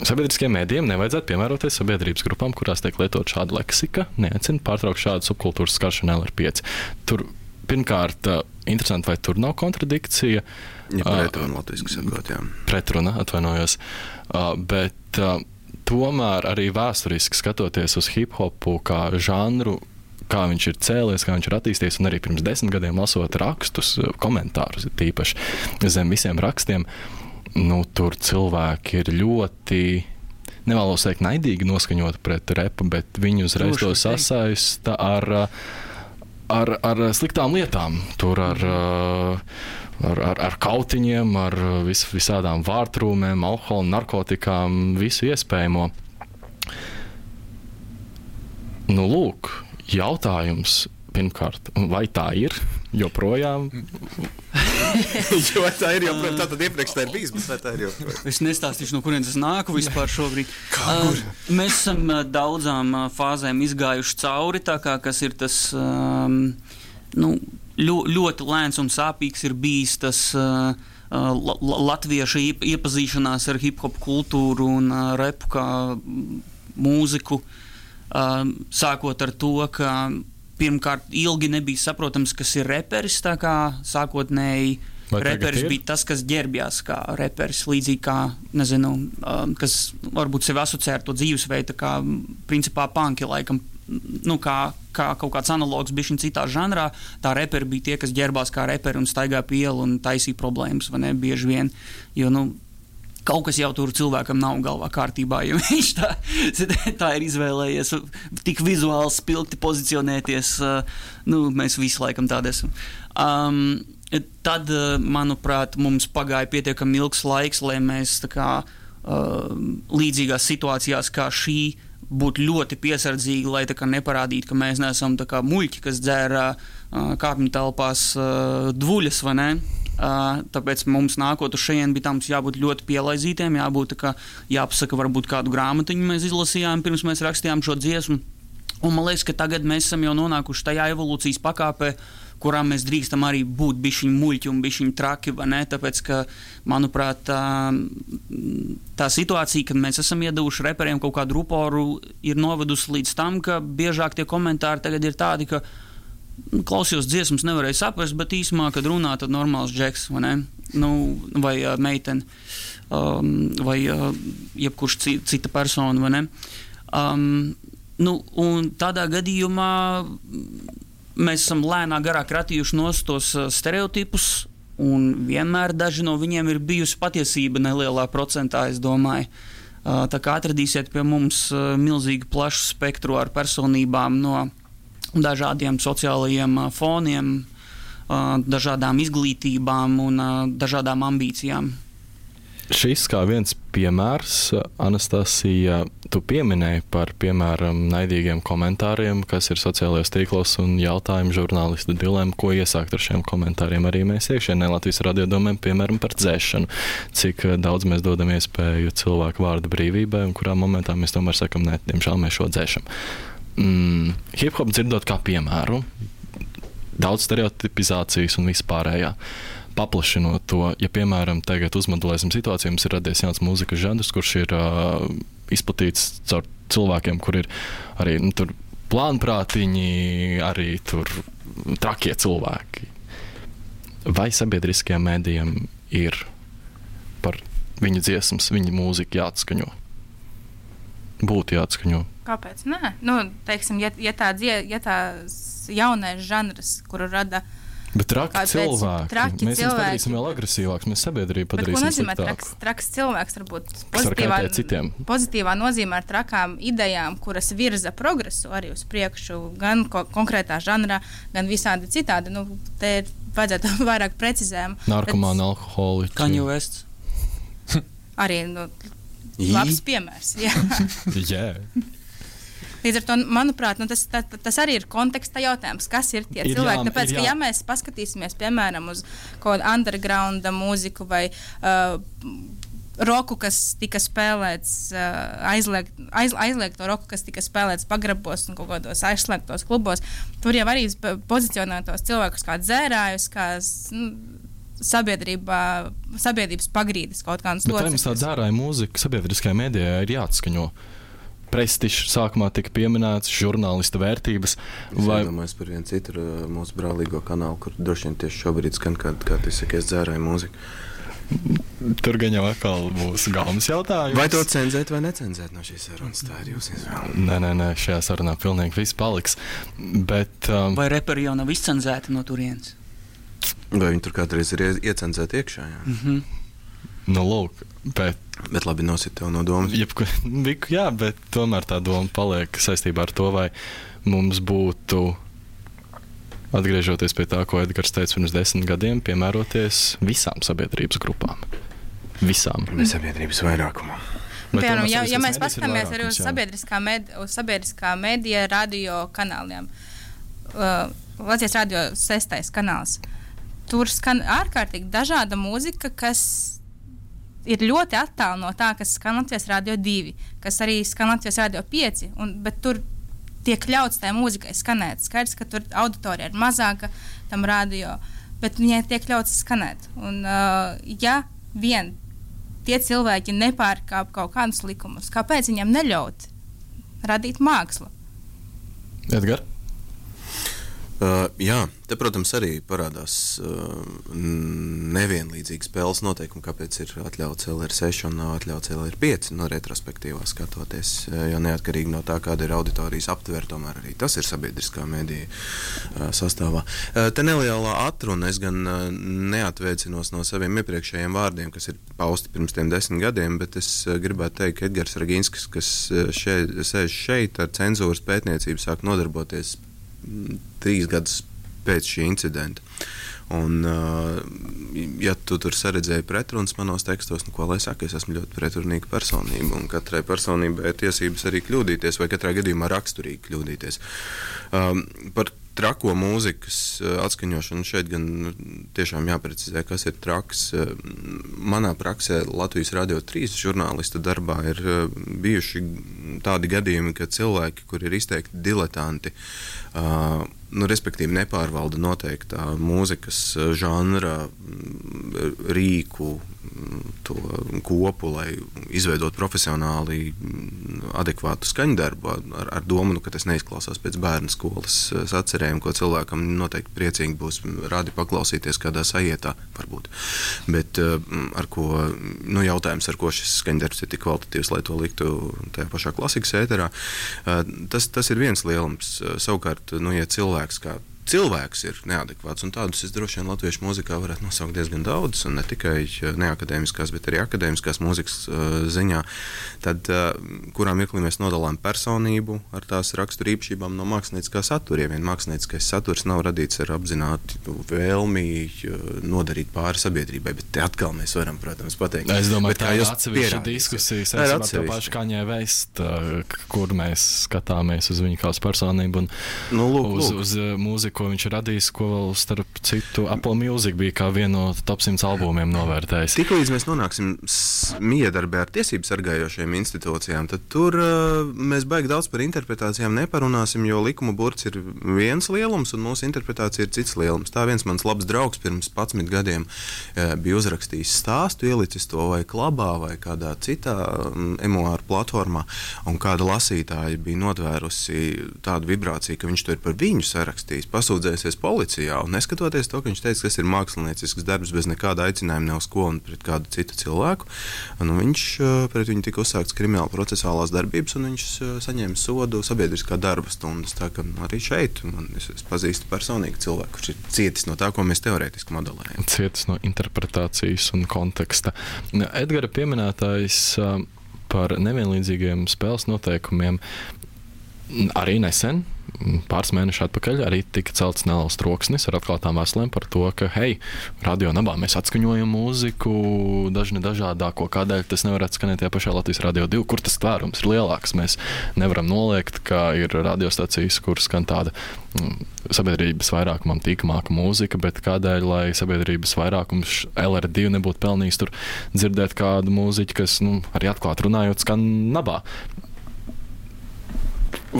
Sabiedriskiem mēdījiem nevajadzētu piemēroties sabiedrības grupām, kurās tiek lietot šāda leksika, neaicina pārtraukt šādu subkultūras skaršanu LR5. Tur pirmkārt, interesanti, vai tur nav kontradikcija. Ja pretruna latviski sakot, jā. Pretruna, atvainojos. Bet tomēr arī vēsturiski skatoties uz hip-hopu kā žanru, kā viņš ir cēlies, kā viņš ir attīstījies, un arī pirms 10 gadiem lasot rakstus, komentārus tīpaši zem visiem rakstiem, tur cilvēki ir ļoti, nevēlos teikt, naidīgi noskaņoti pret repu, bet viņi uzreiz to sasaista ar sliktām lietām, tur ar kautiņiem, ar visādām vārtrūmēm, alkoholu, narkotikām, visu iespējamo. Lūk, jautājums pirmkārt, vai tā ir joprojām? Jo tā ir joprojām, tātad iepriekš tā ir bijis, bet vai tā ir joprojām? Es nestāstīšu, no kurienes es nāku vispār šobrīd. Mēs esam daudzām fāzēm izgājuši cauri, tā kā kas ir tas ļoti lēns un sāpīgs ir bijis tas latviešu iepazīšanās ar hip-hop kultūru un repu kā mūziku, sākot ar to, ka pirmkārt ilgi nebija saprotams, kas ir reperis, tā kā sākotnēji reperis bija tas, kas ģērbjās kā reperis, līdzīgi kā, nezinu, kas varbūt sevi asociē ar to dzīvesveidu, kā principā punki laikam, kā kaut kāds analogs bišķiņ citā žanrā, tā reperi bija tie, kas ģērbās kā reperi un staigā pie ielu un taisīja problēmas, vai ne, bieži vien, jo, kaut kas jau tur cilvēkam nav galvā kārtībā, ja viņš tā ir izvēlējies tik vizuāli spilgti pozicionēties, mēs visi laikam tādi esam. Tad, manuprāt, mums pagāja pietiekami ilgs laiks, lai mēs līdzīgās situācijās kā šī būt ļoti piesardzīgi, lai neparādītu, ka mēs neesam muļķi, kas dzēra kāpņu telpās dvuļas, vai ne? Tāpēc mums nākot uz šejien bija mums jābūt ļoti pielaizītiem, jāpasaka varbūt kādu grāmatiņu mēs izlasījām, pirms mēs rakstījām šo dziesmu. Un man liekas, ka tagad mēs esam jau nonākuši tajā evolūcijas pakāpē, kurā mēs drīkstam arī būt bišķiņ muļķi un bišķiņ traki, vai ne? Tāpēc, ka, manuprāt, tā situācija, kad mēs esam iedavuši reperiem kaut kādu ruporu, ir novedusi līdz tam, ka biežāk tie komentāri tagad ir tādi, ka klausījos dziesmas, nevarēju saprast, bet īsumā, kad runā, tad normāls džeks, vai ne? Vai meitene, vai jebkurš cita persona, vai ne? Un tādā gadījumā mēs esam lēnā garā kratījuši nost tos stereotipus, un vienmēr daži no viņiem ir bijusi patiesība nelielā procentā, es domāju. Tā kā atradīsiet pie mums milzīgi plašu spektru ar personībām no dažādiem sociālajiem foniem, dažādām izglītībām un dažādām ambīcijām. Šis kā viens piemērs, Anastasija, tu pieminēji par, piemēram, naidīgiem komentāriem, kas ir sociālajos tīklos un jautājumu žurnālistu dilēmu, ko iesākt ar šiem komentāriem arī mēs iekšienē Latvijas radio domēm, piemēram, par dzēšanu. Cik daudz mēs dodam iespēju cilvēku vārdu brīvībai un kurā momentā mēs tomēr sakam, nē, diemžēl mēs šo dzēšam. Hip-hop dzirdot kā piemēru, daudz stereotipizācijas un vispārējā. Paplašinot to, ja, piemēram, tagad uzmodelēsim situāciju, mums ir radies jauns mūzikas žanrs, kurš ir izplatīts caur cilvēkiem, kur ir arī tur plānprātiņi, arī tur trakie cilvēki. Vai sabiedriskajiem mēdījiem ir par viņu dziesmas, viņu mūziku jāatskaņo? Būtu jāatskaņo. Kāpēc? Nē, teiksim, ja tās jaunais žanrs, kuru rada Bet traki cilvēki. Mēs viņus padarīsim vēl agresīvāks, mēs sabiedrību padarīsim sliktāku. Ko nozīmē traks cilvēks? Varbūt pozitīvā nozīmē ar trakām idejām, kuras virza progresu arī uz priekšu, gan konkrētā žanrā, gan visādi citādi. Te vajadzētu vairāk precizējumu. Narkomāni, alkoholiķi. Kanye Wests. Arī, labs piemērs. Jā. Līdz ar to, manuprāt, tas arī ir konteksta jautājums, kas ir tie cilvēki. Tāpēc, ka ja mēs paskatīsimies, piemēram, uz kaut kādu undergrounda mūziku vai roku, kas tika spēlēts, aizliegto roku, kas tika spēlēts pagrabos un kaut kādos aizslēgtos klubos, tur jau arī pozicionē tos cilvēkus kā dzērājus, kā sabiedrības pagrīdes kaut kādas locekļus. Bet mums tā dzērāja mūzika sabiedriskajā mēdījā ir jāatskaņo. Prestižs sākumā tika pieminēts, žurnālista vērtības. Es domāju par vienu citu mūsu brālīgo kanālu, kur droši vien tieši šobrīd skan, kā tu saki, es dzērāju mūziku. Tur gan jau atkal būs galvas jautājums. Vai to cenzēt vai necenzēt no šīs sarunas? Tā ir jūsu izvēle. Nē, šajā sarunā pilnīgi viss paliks. Bet, vai reperi jau nav izcenzēti no turienes? Vai viņi tur kādreiz ir iecenzēti iekšā? Jā. Lūk, bet labi nosit tev no domas. Jā, bet tomēr tā doma paliek saistībā ar to, vai mums būtu, atgriežoties pie tā, ko Edgars teica pirms 10 gadiem, piemēroties visām sabiedrības grupām. Visām. Ne sabiedrības vairākumā. Piemēram, ja mēs paskatāmies arī uz sabiedriskā mēdija radio kanāliem. Latvijas radio 6. kanāls. Tur skan ārkārtīgi dažāda mūzika, kas ir ļoti attāli no tā, kas skan Latvijas radio 2, kas arī skan Latvijas radio 5, bet tur tiek ļauts tai mūzikai skanēt. Skaidrs, ka tur auditorija ir mazāka tam radio, bet viņai tiek ļauts skanēt. Un ja vien tie cilvēki nepārkāp kaut kādus likumus, kāpēc viņam neļaut radīt mākslu? Edgar? Jā, te, protams, arī parādās nevienlīdzīgi spēles noteikumi, kāpēc ir atļauts LR6 un nav atļauts LR5, retrospektīvā skatoties, jo neatkarīgi no tā, kāda ir auditorijas aptver, tomēr arī tas ir sabiedriskā mēdīja sastāvā. Te nelielā atruna, es gan neatvēcinos no saviem iepriekšējiem vārdiem, kas ir pausti pirms tiem 10 gadiem, bet es gribētu teikt, ka Edgars Raginskis, kas sēž šeit ar cenzūras pētniecību, sāk nodarboties 3 gadus pēc šī incidenta. Un, ja tu tur saredzēji pretrunas manos tekstos, ko lai saka, es esmu ļoti pretrunīga personība, un katrai personībai ir tiesības arī kļūdīties, vai katrā gadījumā raksturīgi kļūdīties. Par trako mūzikas atskaņošanu šeit gan tiešām jāprecizē, kas ir traks. Manā praksē Latvijas Radio 3 žurnālista darbā ir bijuši tādi gadījumi, ka cilvēki, kuri ir izteikti diletanti, respektīvi nepārvalda noteiktā mūzikas žanra rīku, to kopu, lai izveidot profesionāli adekvātu skaņdarbu ar domu, ka tas neizklausās pēc bērnu skolas sacerēm, ko cilvēkam noteikti priecīgi būs rādi paklausīties kādā sajietā, varbūt. Bet jautājums, ar ko šis skaņdarbs ir tik kvalitatīvs, lai to liktu tajā pašā klasikas ēterā, tas ir viens lielums. Savukārt, ja cilvēks ir neadekvāts, un tādus es droši vien latviešu mūzikā varētu nosaukt diezgan daudz, un ne tikai neakadēmiskās, bet arī akadēmiskās mūzikas ziņā, tad kurā mirklī mēs nodalām personību ar tās rakstura īpašībām no mākslinieckā satura. Ja vien mākslinieckais saturs nav radīts ar apzināti vēlmi nodarīt pāri sabiedrībai, bet Te atkal mēs varam, protams, pateikt. Es domāju, Bet tā ir atsevišķa diskusija saistībā ar to pašu Kanye West, kur mēs skatāmies uz viņu kā uz personību un uz mūziku, ko viņš ir radījis, ko vēl starp citu Apple Music bija kā vienu no top 100 albumiem novērtējis. Tiklīdz mēs nonāksim miedarbē ar tiesību sargājošajām institūcijām, tad tur mēs baigi daudz par interpretācijām neparunāsim, jo likuma burts ir viens lielums un mūsu interpretācija ir cits lielums. Tā viens mans labs draugs pirms 11 gadiem bija uzrakstījis stāstu, ielicis to vai klabā vai kādā citā emuāru platformā, un kāda lasītāja bija notvērusi tādu vibrāciju, ka viņš to ir par viņu sarakstījis, pasūdzējusies policijā, un neskatoties to, ka viņš teica, ka tas ir māksliniecisks darbs bez nekāda aicinājuma ne uz ko un pret kādu citu cilvēku, un viņš pret viņu tika uzsākts krimināla procesālās darbības, un viņš saņēma sodu sabiedriskā darba stundas. Tā ka arī šeit es pazīstu personīgi cilvēku, kurš ir cietis no tā, ko mēs teorētiski modelējam. Cietis no interpretācijas un konteksta. Edgara pieminētais par nevienlīdzīgiem spēles noteikumiem arī nesen, pāris mēneši atpakaļ, arī tika celts neliels troksnis ar atklātām vēstulēm par to, ka, hei, radio nabā mēs atskaņojam mūziku dažādāko, kādēļ tas nevar atskanēt tajā pašā Latvijas Radio 2, kur tas tvērums ir lielāks. Mēs nevaram noliegt, ka ir radiostacijas, kur skan tāda sabiedrības vairākumam tīkamāka mūzika, bet kādēļ, lai sabiedrības vairākums LR2 nebūtu pelnījis tur dzirdēt kādu mūziķu, kas, arī atklāt runājot, skan nabā.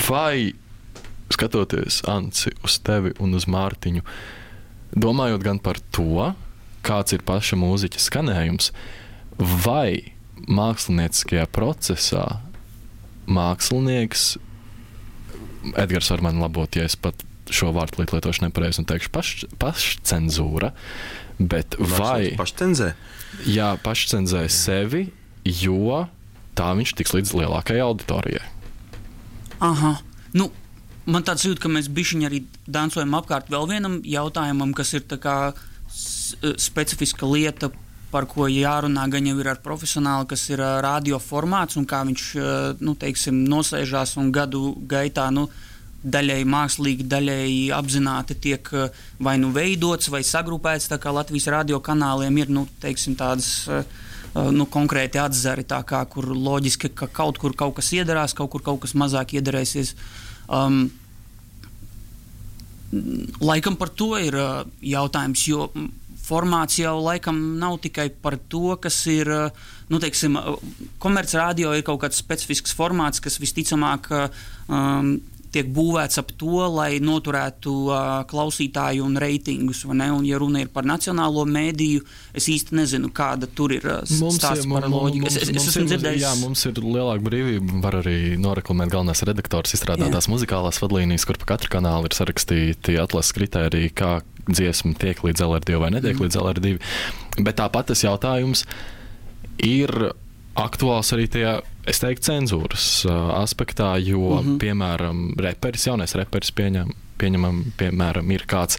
Vai skatoties, Anci, uz tevi un uz Mārtiņu, domājot gan par to, kāds ir paša mūziķa skanējums, vai mākslinieckajā procesā mākslinieks, Edgars var mani labot, ja es pat šo vārdu lietošu nepareizi un teikšu pašcenzūra, bet vai... Pašcenzē? Jā, pašcenzē sevi, jo tā viņš tiks līdz lielākajai auditorijai. Aha, man tāds jūt, ka mēs bišķiņi arī dansojam apkārt vēl vienam jautājumam, kas ir tā kā specifiska lieta, par ko jārunā gan jau ir ar profesionāli, kas ir radio formāts un kā viņš, teiksim, nosēžās un gadu gaitā, daļēji mākslīgi, daļēji apzināti tiek vai veidots vai sagrupēts, tā kā Latvijas radio kanāliem ir, teiksim, tādas... konkrēti atzari, tā kā, kur loģiski, ka kaut kur kaut kas iedarās, kaut kur kaut kas mazāk iedarēsies. Laikam par to ir jautājums, jo formāts jau laikam nav tikai par to, kas ir, teiksim, komercradio ir kaut kāds specifisks formāts, kas visticamāk tiek būvēts ap to, lai noturētu klausītāju un reitingus, vai ne? Un, ja runa ir par nacionālo mēdīju, es īsti nezinu, kāda tur ir stāsts par loģiku. Es esmu dzirdējis. Jā, mums ir lielāka brīvība, var arī noreklamēt galvenais redaktors, izstrādātās muzikālās vadlīnijas, kur pa katru kanālu ir sarakstīti atlases kritēriji, kā dziesma tiek līdz LR2 vai netiek līdz LR2. Bet tāpat tas jautājums ir aktuāls arī tajā, es teiktu, cenzūras aspektā, jo, piemēram, jaunais reperis pieņemam, piemēram, ir kāds,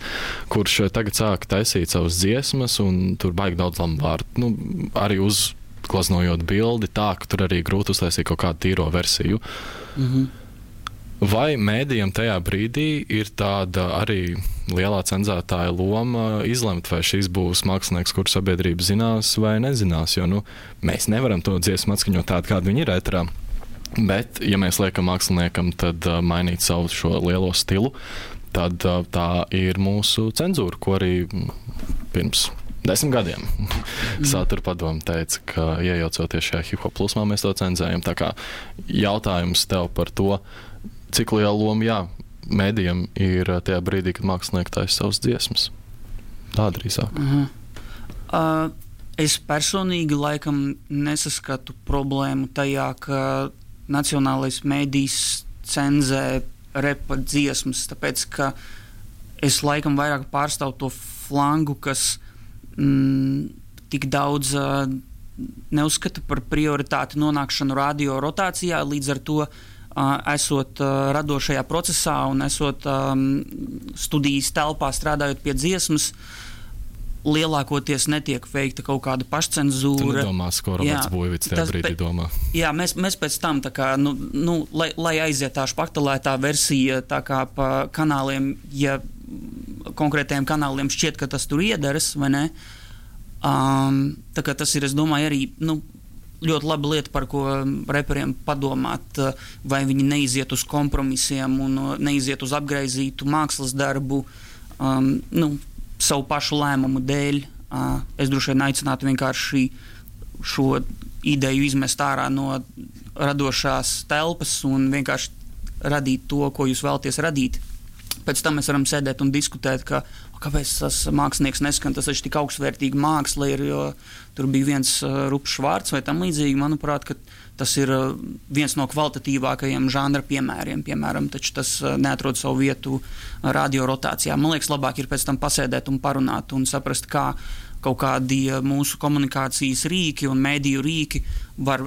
kurš tagad sāk taisīt savas dziesmas, un tur baigi daudz lamu vārdu. Arī uzglaznojot bildi tā, ka tur arī grūti uztaisīt kaut kādu tīro versiju. Vai mēdījam tajā brīdī ir tāda arī lielā cenzētāja loma izlemt, vai šis būs mākslinieks, kuru sabiedrība zinās vai nezinās, jo mēs nevaram to dziesmu atskaņot tādu, kādu viņi ir ēterā. Bet, ja mēs liekam māksliniekam, tad mainīt savu šo lielo stilu, tad tā ir mūsu cenzūra, ko arī pirms 10 gadiem Satura padome teica, ka iejaucoties šajā hip-hop plūsmā, mēs to cenzējam. Tā kā jautājums tev par to, cik liela loma, mēdījam ir tajā brīdī, kad mākslinieki taisa savas dziesmas. Tā drīzāk. Es personīgi laikam nesaskatu problēmu tajā, ka nacionālais mēdījis cenzē repa dziesmas, tāpēc, ka es laikam vairāk pārstāvu to flangu, kas tik daudz neuzskata par prioritāti nonākšanu radio rotācijā, līdz ar to esot radošajā procesā un esot studijas telpā strādājot pie dziesmas, lielākoties netiek veikta kaut kāda pašcenzūra. Tu nedomās, ko Roberts Buivits tajā brīdī domā. Jā, mēs pēc tam, tā kā, lai aiziet tā špaktelētā versija, tā kā pa kanāliem, ja konkrētajiem kanāliem šķiet, ka tas tur iedaras, vai ne, Tā kā tas ir, es domāju, arī ļoti laba lieta, par ko reperiem padomāt, vai viņi neiziet uz kompromisiem un neiziet uz apgraizītu mākslas darbu, savu pašu lēmumu dēļ. Es droši vien aicinātu vienkārši šo ideju izmest ārā no radošās telpas un vienkārši radīt to, ko jūs vēlaties radīt. Pēc tam mēs varam sēdēt un diskutēt, kāpēc tas mākslinieks neskan, tas taču tik augstvērtīga māksla ir, jo tur bija viens rupšs vārds vai tam līdzīgi. Manuprāt, ka tas ir viens no kvalitatīvākajiem žanra piemēriem, taču tas neatrod savu vietu radio rotācijā. Man liekas, labāk ir pēc tam pasēdēt un parunāt un saprast, kā kaut kādi mūsu komunikācijas rīki un mēdīju rīki var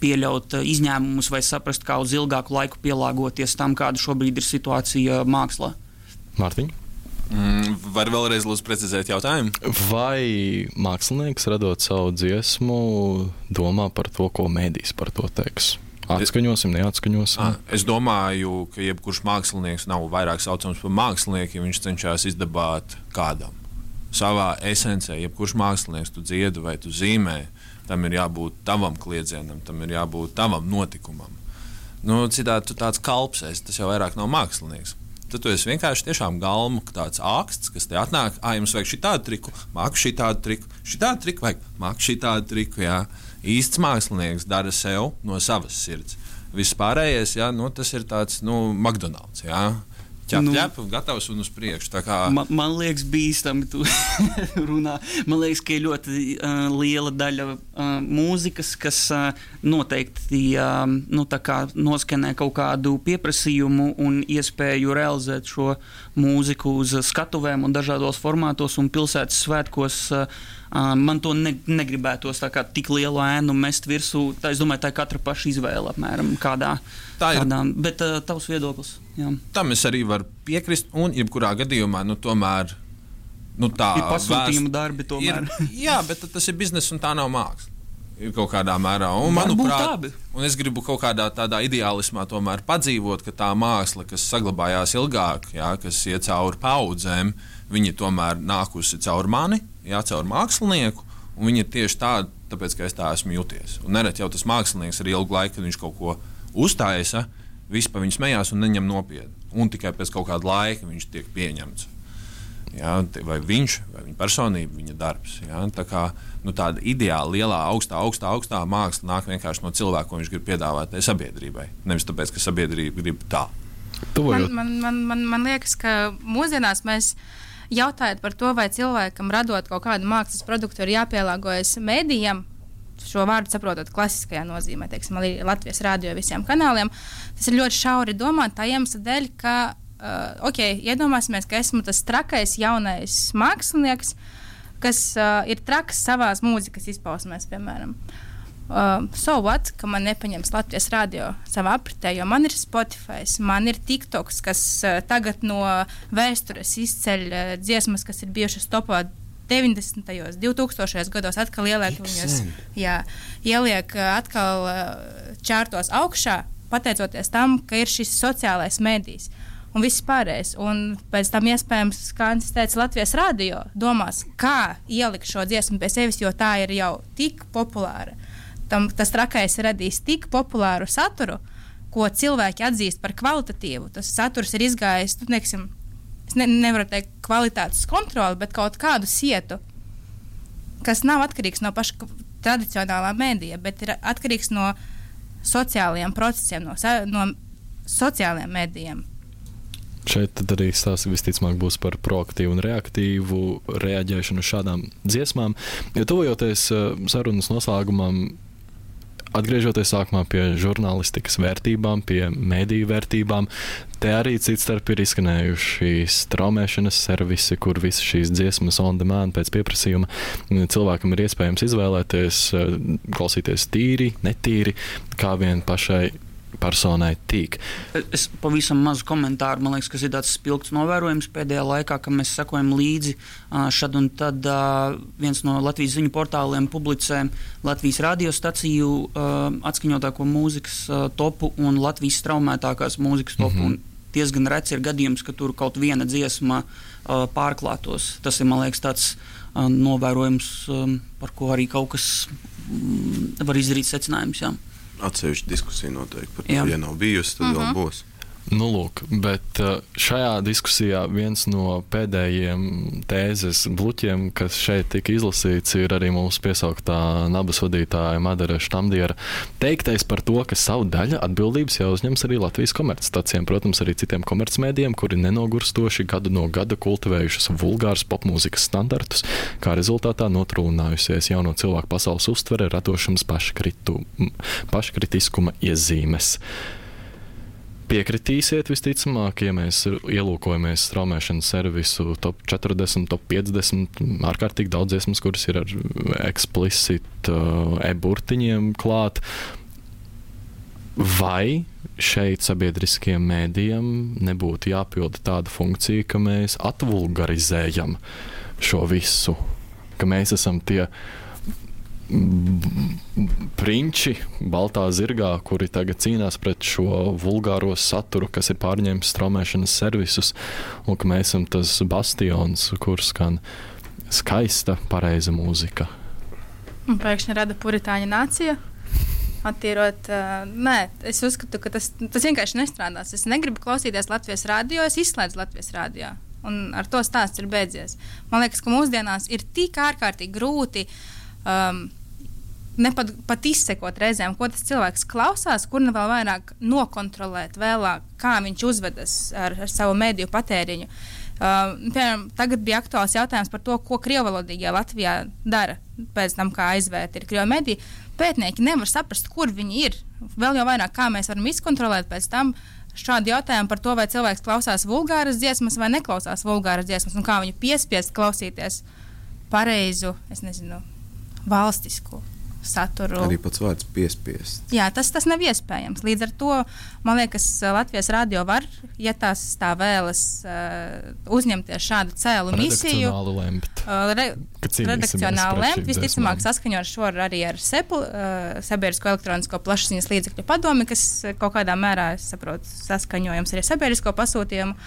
pieļaut izņēmumus vai saprast, kā uz ilgāku laiku pielāgoties tam, kāda šobrīd ir situācija mākslā. Mārtiņ? Var vēlreiz lūdzu precizēt jautājumu? Vai mākslinieks, radot savu dziesmu, domā par to, ko mēdīs par to teiks? Atskaņosim, neatskaņosim? Es domāju, ka jebkurš mākslinieks nav vairāk saucams par mākslinieku, ja viņš cenšas izdabāt kādam. Savā esencē, jebkurš mākslinieks tu dziedi vai tu zīmē, tam ir jābūt tavam kliedzienam, tam ir jābūt tavam notikumam. Citādi tu tāds kalps esi, tas jau vairāk nav mākslinieks. Tad tu esi vienkārši tiešām galmu tāds āksts, kas te atnāk, jums vajag šitādu triku, māku šitādu triku vajag, māku šitādu triku, jā. Īsts mākslinieks dara sev no savas sirds. Viss pārējais, jā, tas ir tāds, McDonald's, jā. Ķep, gatavs un uz priekšu. Man liekas, bīstami tu runā. Man liekas, ka ir ļoti liela daļa mūzikas, kas noteikti noskanē kaut kādu pieprasījumu un iespēju realizēt šo mūziku uz skatuvēm un dažādos formātos un pilsētas svētkos. Man to negribētos tik lielu ēnu mest virsū. Es domāju, tā ir katra paša izvēle apmēram kādā. Bet tavs viedoklis. Jā. Tam es arī varu piekrist, un jebkurā gadījumā, tomēr, tā ir pasūtījuma darbi tomēr. Jā, bet tas ir biznes un tā nav māksla. Ir kaut kādā mērā. Un, manuprāt, un es gribu kaut kādā tādā ideālismā tomēr padzīvot, ka tā māksla, kas saglabājās ilgāk, jā, kas iet cauri paudzēm, viņi tomēr nākusi caur mani, jā, caur mākslinieku, un viņi ir tieši tādi, tāpēc, ka es tā esmu jūties. Un nereti jau tas mākslinieks ar ilgu laiku, kad viņš kaut ko uztaisa, visi pa viņu smējās un neņem nopietni. Un tikai pēc kaut kāda laika viņš tiek pieņemts. Jā, vai viņš, vai viņa personība, viņa darbs. Jā, tā kā tāda ideāla, lielā, augstā māksla nāk vienkārši no cilvēka, ko viņš grib piedāvāt sabiedrībai. Nevis tāpēc, ka sabiedrība grib tā. Man liekas, ka mūsdienās mēs jautājot par to, vai cilvēkam radot kaut kādu mākslas produktu ir jāpielāgojas mēdījiem, šo vārdu saprotot klasiskajā nozīmē, teiksim, arī Latvijas radio visiem kanāliem, tas ir ļoti šauri domāt tā iemesla dēļ, ka, iedomāsimies, ka esmu tas trakais jaunais mākslinieks, kas ir traks savās mūzikas izpausmēs, piemēram. So what, ka man nepaņems Latvijas radio savā apritē, jo man ir Spotify, man ir TikToks, kas tagad no vēstures izceļ dziesmas, kas ir bijušas topā 90. 2000. gados atkal ieliek viņus, ieliek atkal čārtos augšā, pateicoties tam, ka ir šis sociālais medijs un viss pārējais. Un pēc tam iespējams, kā Antis teica, Latvijas radio domās, kā ielikt šo dziesmu pie sevis, jo tā ir jau tik populāra. Tas trakais radīs tik populāru saturu, ko cilvēki atzīst par kvalitatīvu. Tas saturs ir izgājis, es nevaru teikt kvalitātes kontroli, bet kaut kādu sietu, kas nav atkarīgs no paša tradicionālā mēdīja, bet ir atkarīgs no sociālajiem procesiem, no sociālajiem mēdījiem. Šeit tad arī stāsts visticamāk būs par proaktīvu un reaktīvu reaģēšanu uz šādām dziesmām. Ja tuvojoties sarunas noslēgumam, atgriežoties sākumā pie žurnālistikas vērtībām, pie mediju vērtībām, te arī citstarp ir izskanējuši straumēšanas servisi, kur visas šīs dziesmas on demand pēc pieprasījuma cilvēkam ir iespējams izvēlēties, klausīties tīri, netīri, kā vien pašai personai tīk. Es pavisam mazu komentāru, man liekas, kas ir tāds spilgts novērojums pēdējā laikā, ka mēs sekojam līdzi šad un tad viens no Latvijas ziņu portāliem publicē Latvijas radiostaciju atskaņotāko mūzikas topu un Latvijas straumētākās mūzikas topu. Un diezgan reci ir gadījums, ka tur kaut viena dziesma pārklātos. Tas ir, man liekas, tāds novērojums, par ko arī kaut kas var izdarīt secinājums. Jā. Atsevišķa diskusija noteikti par to, ja nav bijusi, tad vēl būs. Nu, lūk, bet šajā diskusijā viens no pēdējiem tēzes bluķiem, kas šeit tika izlasīts, ir arī mūsu piesauktā nabas vadītāja Madara Štamdiera teiktais par to, ka savu daļu atbildības jāuzņems arī Latvijas komercstacijām, protams, arī citiem komercmēdiem, kuri nenogurstoši gadu no gada kultivējušas vulgāras popmūzikas standartus, kā rezultātā notrūlinājusies jauno cilvēku pasaules uztvere, radošanas paškritiskuma iezīmes. Piekritīsiet visticamāk, ja mēs ielūkojamies straumēšanas servisu top 40, top 50, ārkārtīgi daudz dziesmas, kuras ir ar explicit e-burtiņiem klāt. Vai šeit sabiedriskiem mēdījiem nebūtu jāpilda tāda funkcija, ka mēs atvulgarizējam šo visu, ka mēs esam tie prinči baltā zirgā, kuri tagad cīnās pret šo vulgāro saturu, kas ir pārņēmis straumēšanas servisus, un ka mēs esam tas bastions, kur skan skaista, pareiza mūzika. Un pēkšņi rada puritāņa nācija. Attīrot, nē, es uzskatu, ka tas vienkārši nestrādās. Es negribu klausīties Latvijas radio, es izslēdzu Latvijas radio. Un ar to stāsts ir beidzies. Man liekas, ka mūsdienās ir tik ārkārtīgi grūti pat izsekot reizēm, ko tas cilvēks klausās, kur vēl vairāk nokontrolēt vēlāk, kā viņš uzvedas ar savu mediju patēriņu. Piemēram, tagad bija aktuāls jautājums par to, ko krievvalodīgajā Latvijā dara pēc tam, kā aizvērta ir krievu mediji. Pētnieki nevar saprast, kur viņi ir. Vēl jau vairāk, kā mēs varam izkontrolēt pēc tam šādu jautājumu par to, vai cilvēks klausās vulgāras dziesmas vai neklausās vulgāras dziesmas, un kā viņu piespiest klausīties pareizu, es nezinu, valstisku saturu. Arī pats vārds piespiest. Jā, tas nav iespējams. Līdz ar to, man liekas, Latvijas radio var, ja tās tā vēlas, uzņemties šādu cēlu misiju. Redakcionāli lemt. Visticamāk saskaņot šo arī ar SEPL, Sabiedrisko elektronisko plašsaziņas līdzekļu padomi, kas kaut kādā mērā, es saprotu, saskaņojums arī sabiedrisko pasūtījumu.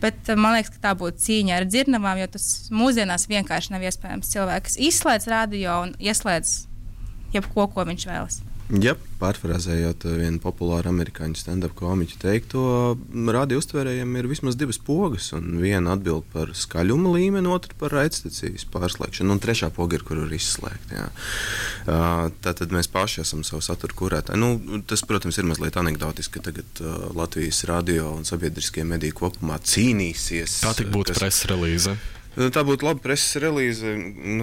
Bet man liekas, ka tā būtu cīņa ar dzirnavām, jo tas mūsdienās vienkārši nav iespējams. Cilvēks izslēdz radio un ieslēdz jebko, ko viņš vēlas. Jā, pārfrāzējot vienu populāru amerikāņu stand-up komiķu teikto, radio uztvērējiem ir vismaz divas pogas, un viena atbild par skaļuma līmeni, otra par raidstacijas pārslēgšanu, un trešā poga ir, kur ir izslēgta. Tātad mēs paši esam savu saturu kurētāji. Tas, protams, ir mazliet anekdotiski, ka tagad Latvijas radio un sabiedriskie mediji kopumā cīnīsies. Tā tik būtu preses relīze. Tā būtu laba preses relīze,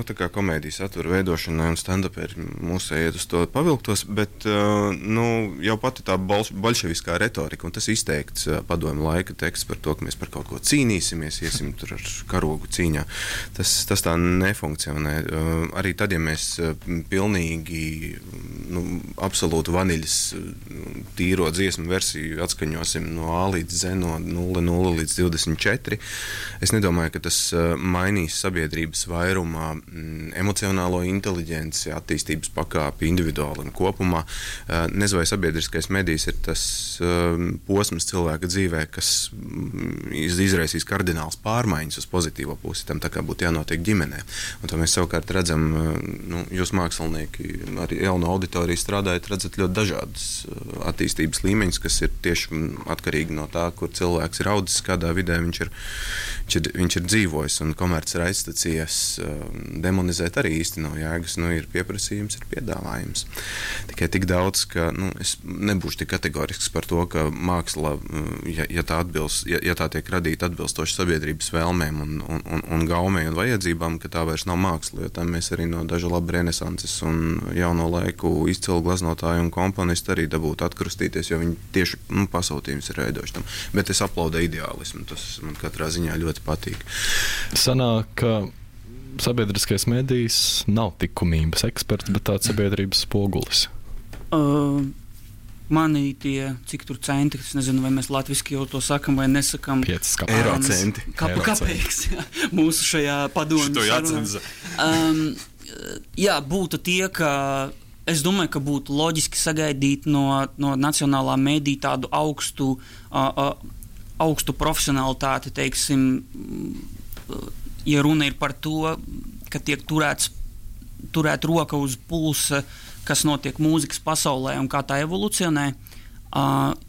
tā kā komēdijas satura veidošanai un stand-uperi mūsu iet uz to pavilktos, bet jau pati tā bolševiskā retorika, un tas izteikts padomju laika teksts par to, ka mēs par kaut ko cīnīsimies, iesim tur ar karogu cīņā. Tas tā nefunkcionē. Arī tad, ja mēs pilnīgi absolūtu vaniļas tīro dziesmu versiju atskaņosim no A līdz Z, no 0 līdz 24, es nedomāju, ka tas mainīs sabiedrības vairumā emocionālo inteliģenci, attīstības pakāpi individuāli un kopumā. Nezinu, vai sabiedriskais medijs ir tas posms cilvēka dzīvē, kas izraisīs kardināls pārmaiņas uz pozitīvo pusi, tam tā kā būtu jānotiek ģimenē. Un to mēs savukārt redzam, jūs mākslinieki arī jauno auditoriju strādājat, redzat ļoti dažādas attīstības līmeņus, kas ir tieši atkarīgi no tā, kur cilvēks ir audzis, kādā vidē viņš ir dzīvojis. Un komerces raidstacijas demonizēt arī īsti nav jēgas. Ir pieprasījums, ir piedāvājums. Tikai tik daudz, ka es nebūšu tik kategorisks par to, ka māksla, ja tā tiek radīta atbilstoši sabiedrības vēlmēm un gaumei un vajadzībām, ka tā vairs nav māksla, jo tam mēs arī no daža laba renesanses un jauno laiku izcilu gleznotāju un komponistu arī dabūtu atkrustīties, jo viņi tieši pasūtījums ir veidojuši tam. Bet es aplaudēju ideālismu, tas man katrā ziņā ļoti patīk. Sanāk, ka sabiedriskais medijs nav likumības eksperts, bet tāds sabiedrības spogulis. Mani tie, cik tur centi, es nezinu, vai mēs latviski jau to sakam vai nesakam. 5 eiro centi. Kāpēc? Mūsu šajā padomju sarunā. Jā, būtu tie, ka es domāju, ka būtu loģiski sagaidīt no nacionālā medija tādu augstu profesionalitāti, teiksim, ja runa ir par to, ka tiek turēt roka uz pulsa, kas notiek mūzikas pasaulē un kā tā evolucionē,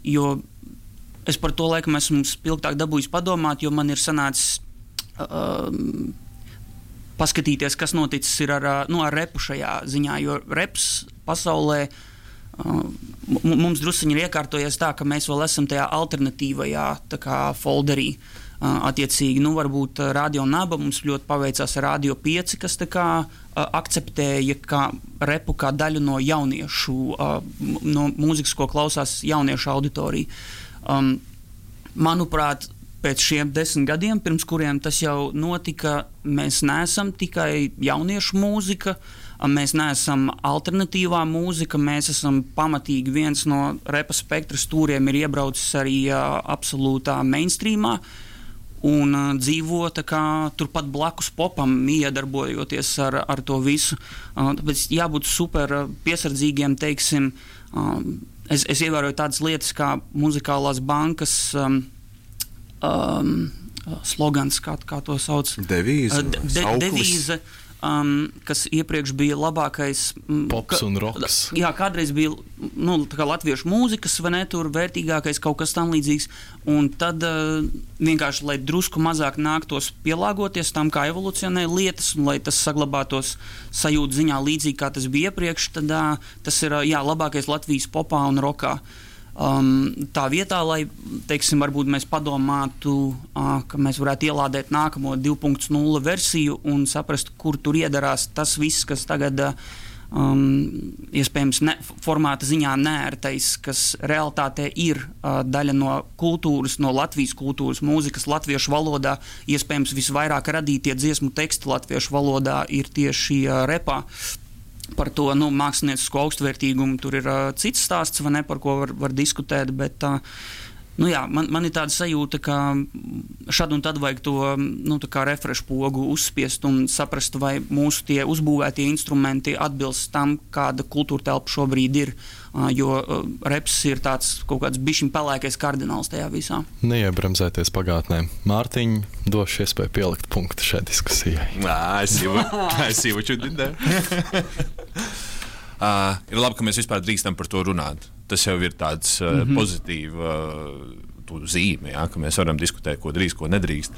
jo es par to laikam esmu spilgtāk dabūjis padomāt, jo man ir sanācis paskatīties, kas noticis ir ar repu šajā ziņā, jo reps pasaulē mums drusciņi ir iekārtojies tā, ka mēs vēl esam tajā alternatīvajā tā kā folderī. Attiecīgi, varbūt Radio Naba mums ļoti paveicās ar Radio 5, kas tā kā akceptēja kā repu kā daļu no jauniešu, no mūzikas, ko klausās jauniešu auditorija. Manuprāt, pēc šiem 10 gadiem, pirms kuriem tas jau notika, mēs neesam tikai jauniešu mūzika, mēs neesam alternatīvā mūzika, mēs esam pamatīgi viens no repa spektra stūriem ir iebraucis arī absolūtā mainstreamā, un dzīvo tā kā turpat blakus popam, iedarbojoties ar to visu. Tāpēc jābūt super piesardzīgiem, teiksim, es ievēroju tādas lietas kā muzikālās bankas slogans, kā to sauc? Devīze. Kas iepriekš bija labākais pops un roks. Jā, kādreiz bija tā kā latviešu mūzikas, vai ne, tur vērtīgākais kaut kas tam līdzīgs, un tad vienkārši, lai drusku mazāk nāktos pielāgoties tam, kā evolucionē lietas, un lai tas saglabātos sajūtu ziņā līdzīgi, kā tas bija iepriekš, tad tas ir, labākais Latvijas popā un rokā. Tā vietā, lai, teiksim, varbūt mēs padomātu, ka mēs varētu ielādēt nākamo 2.0 versiju un saprast, kur tur iedarās tas viss, kas tagad iespējams formāta ziņā neērtais, kas realitātē ir daļa no kultūras, no Latvijas kultūras, mūzikas latviešu valodā, iespējams visvairāk radītie dziesmu teksti latviešu valodā ir tieši repā. Par to māksliniecisko augstvērtīgumu tur ir cits stāsts, vai ne, par ko var diskutēt, bet man ir tāda sajūta, ka šad un tad vajag to tā kā refresh pogu uzspiest un saprast, vai mūsu tie uzbūvētie instrumenti atbilst tam, kāda kultūra telpa šobrīd ir, jo reps ir tāds kaut kāds bišķiņ pelēkais kardināls tajā visā. Neiebremzēties pagātnē. Mārtiņ, došu iespēju pielikt punktu šai diskusijai. I see what you did there. Ir labi, ka mēs vispār drīkstam par to runāt. Tas jau ir tāds pozitīva zīme, ka mēs varam diskutēt, ko drīkst, ko nedrīkst.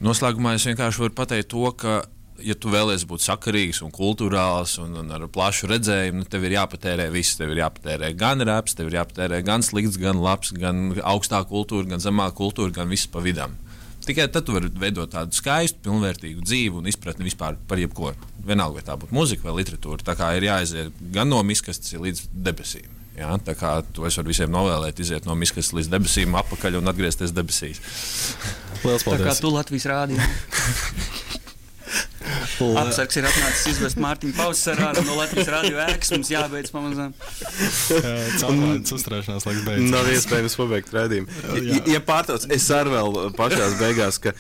Noslēgumā es vienkārši varu pateikt to, ka, ja tu vēlies būt sakarīgs un kultūrāls un ar plašu redzējumu, tev ir jāpatērē viss. Tev ir jāpatērē gan raps, tev ir jāpatērē gan slikts, gan labs, gan augstā kultūra, gan zemā kultūra, gan viss pa vidam. Tikai tad tu vari veidot tādu skaistu, pilnvērtīgu dzīvi un izpratni vispār par jebko. Vienalga, vai tā būtu mūzika vai literatūra. Tā kā ir jāiziet gan no miskastes līdz debesīm. Jā? Tā kā to es varu visiem novēlēt, iziet no miskastes līdz debesīm, apakaļ un atgriezties debesīs. Lielas paldies! Tā kā tu Latvijas rādio. Apsargs ir atnācis izvest Mārtiņu Pausarā no Latvijas radio ēkas, mums jābeidz pamazām. Caurlaidas uzturēšanās laiks beidzas. Nav iespējams pabeigt rādījumu. Ja pārtauc, es arī vēl pašās beigās, ka...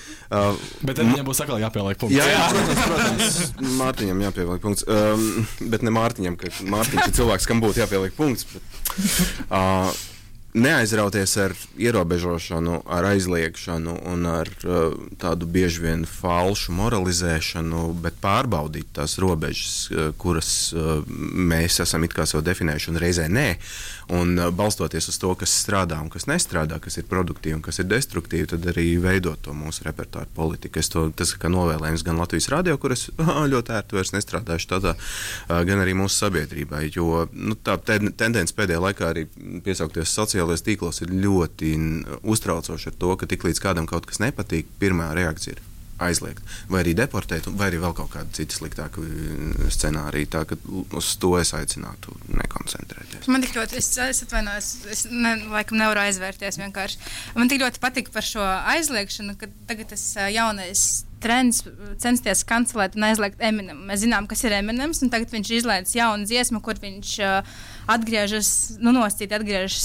Bet tad viņam būs atkal jāpieliek punkts. Jā, protams, Mārtiņam jāpieliek punkts. Bet ne Mārtiņam, ka Mārtiņš ir cilvēks, kam būtu jāpieliek punkts. Bet, neaizrauties ar ierobežošanu, ar aizliegšanu un ar tādu bieži vien falšu moralizēšanu, bet pārbaudīt tās robežas, kuras mēs esam it kā sev definējuši un reizē nē, un balstoties uz to, kas strādā un kas nestrādā, kas ir produktīvi un kas ir destruktīvi, tad arī veidot to mūsu repertuāru politiku. Tas kā novēlējums gan Latvijas radio, kur es ļoti ērti vairs nestrādāšu tādā, gan arī mūsu sabiedrībai, jo tā tendence pēdējā laikā arī piesaukties sociālajos tīklos ir ļoti uztraucoši ar to, ka tiklīdz kādam kaut kas nepatīk, pirmā reakcija ir aizliegt, vai arī deportēt, vai arī vēl kaut kāda cita sliktāka scenārija. Tā, ka uz to es aicinātu nekoncentrēties. Man tik ļoti, es atvainojos, laikam nevaru aizvērties vienkārši. Man tik ļoti patika par šo aizliegšanu, ka tagad tas jaunais trends censties kancelēt un aizliegt Eminem. Mēs zinām, kas ir Eminems, un tagad viņš izlaiž jaunu dziesmu, kur viņš atgriežas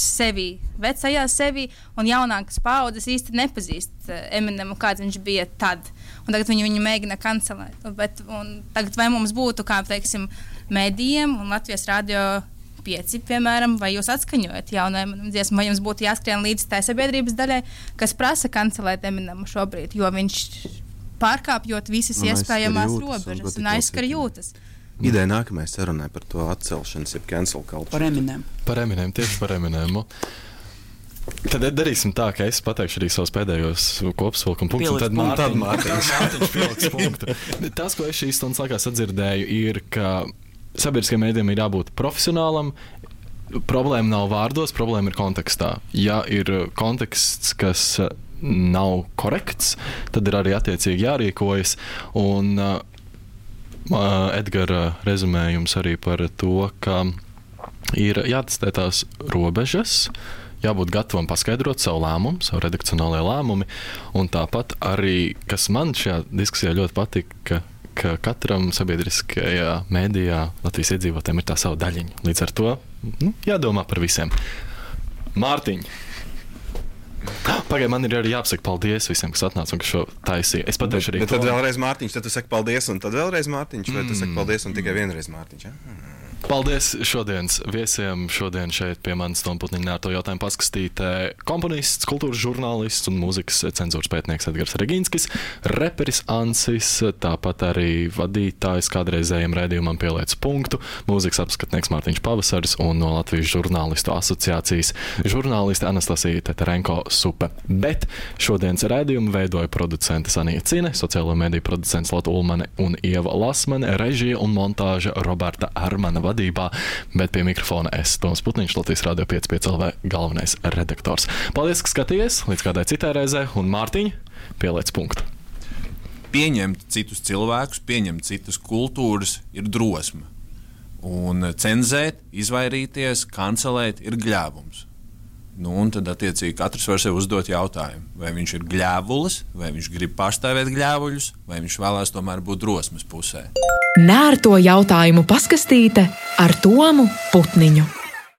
sevi, vecajā sevi, un jaunākas paaudzes īsti nepazīst Eminemu, kāds viņš bija tad. Un tagad viņu mēģina kancelēt. Un tagad vai mums būtu, kā teiksim, medijiem un Latvijas radio 5, piemēram, vai jūs atskaņojat jaunu Eminem dziesmu, vai jums būtu jāskrien līdz tai sabiedrības daļai, kas prasa kancelēt Eminemu šobrīd, jo viņš pārkāpjot visas iespējamās robežas un aizskar jūtas. Ideja nākamajai sarunai par to atcelšanas, jeb cancel culture. Par Eminem. Par Eminem, tieši par Eminemu. Tad darīsim tā, ka es pateikšu arī savus pēdējos kopsavilkuma punktus, un tad Mārtiņš pieliks punktu. Tas, ko es šīs stundas laikā sadzirdēju, ir, ka sabiedriskajiem mēdījiem ir jābūt profesionālam. Problēma nav vārdos, problēma ir kontekstā. Ja ir konteksts, kas nav korekts, tad ir arī attiecīgi jārīkojas. Un Edgara rezumējums arī par to, ka ir jātestē tās robežas, jābūt gatavam paskaidrot savu lēmumu, savu redakcionālajā lēmumi, un tāpat arī, kas man šajā diskusijā ļoti patika, ka katram sabiedriskajā mēdījā Latvijas iedzīvotājiem ir tā sava daļiņa. Līdz ar to jādomā par visiem. Mārtiņ! Pagaid, man ir arī jāpasaka paldies visiem, kas atnāca un kas šo taisīja. Es pateikšu arī. Bet tad vēlreiz Mārtiņš, tad tu saki paldies, un tad vēlreiz Mārtiņš, vai tu saki paldies un tikai vienreiz Mārtiņš? Ja? Paldies šodienas viesiem. Šodien šeit pie manis Toma Putniņa nērto jautājumu paskastītē komponists, kultūras žurnālists un mūzikas cenzūras pētnieks Edgars Regīnskis, reperis Ansis, tāpat arī vadītājs kādreizējiem raidījumam Pieliec punktu, mūzikas apskatnieks Mārtiņš Pavasaris un no Latvijas žurnālistu asociācijas žurnāliste Anastasija Teterenko Supe. Bet šodienas raidījumu veidoja producente Sanija Cine, sociālo mediju producents Lata Ulmane un Ieva Lasmane, režija un montāža Roberta Armana vadībā, bet pie mikrofona es, Toms Putniņš, Latvijas Radio 5 LV galvenais redaktors. Paldies, ka skatījies, līdz kādai citai reizē, un Mārtiņ, pieliec punktu. Pieņemt citus cilvēkus, pieņemt citas kultūras ir drosme. Un cenzēt, izvairīties, kancelēt ir gļēvums. Un tad, attiecīgi, katrs var sev uzdot jautājumu, vai viņš ir gļēvulis, vai viņš grib pārstāvēt gļēvuļus, vai viņš vēlās tomēr būt drosmes pusē. Nērto jautājumu paskastīte ar Tomu Putniņu.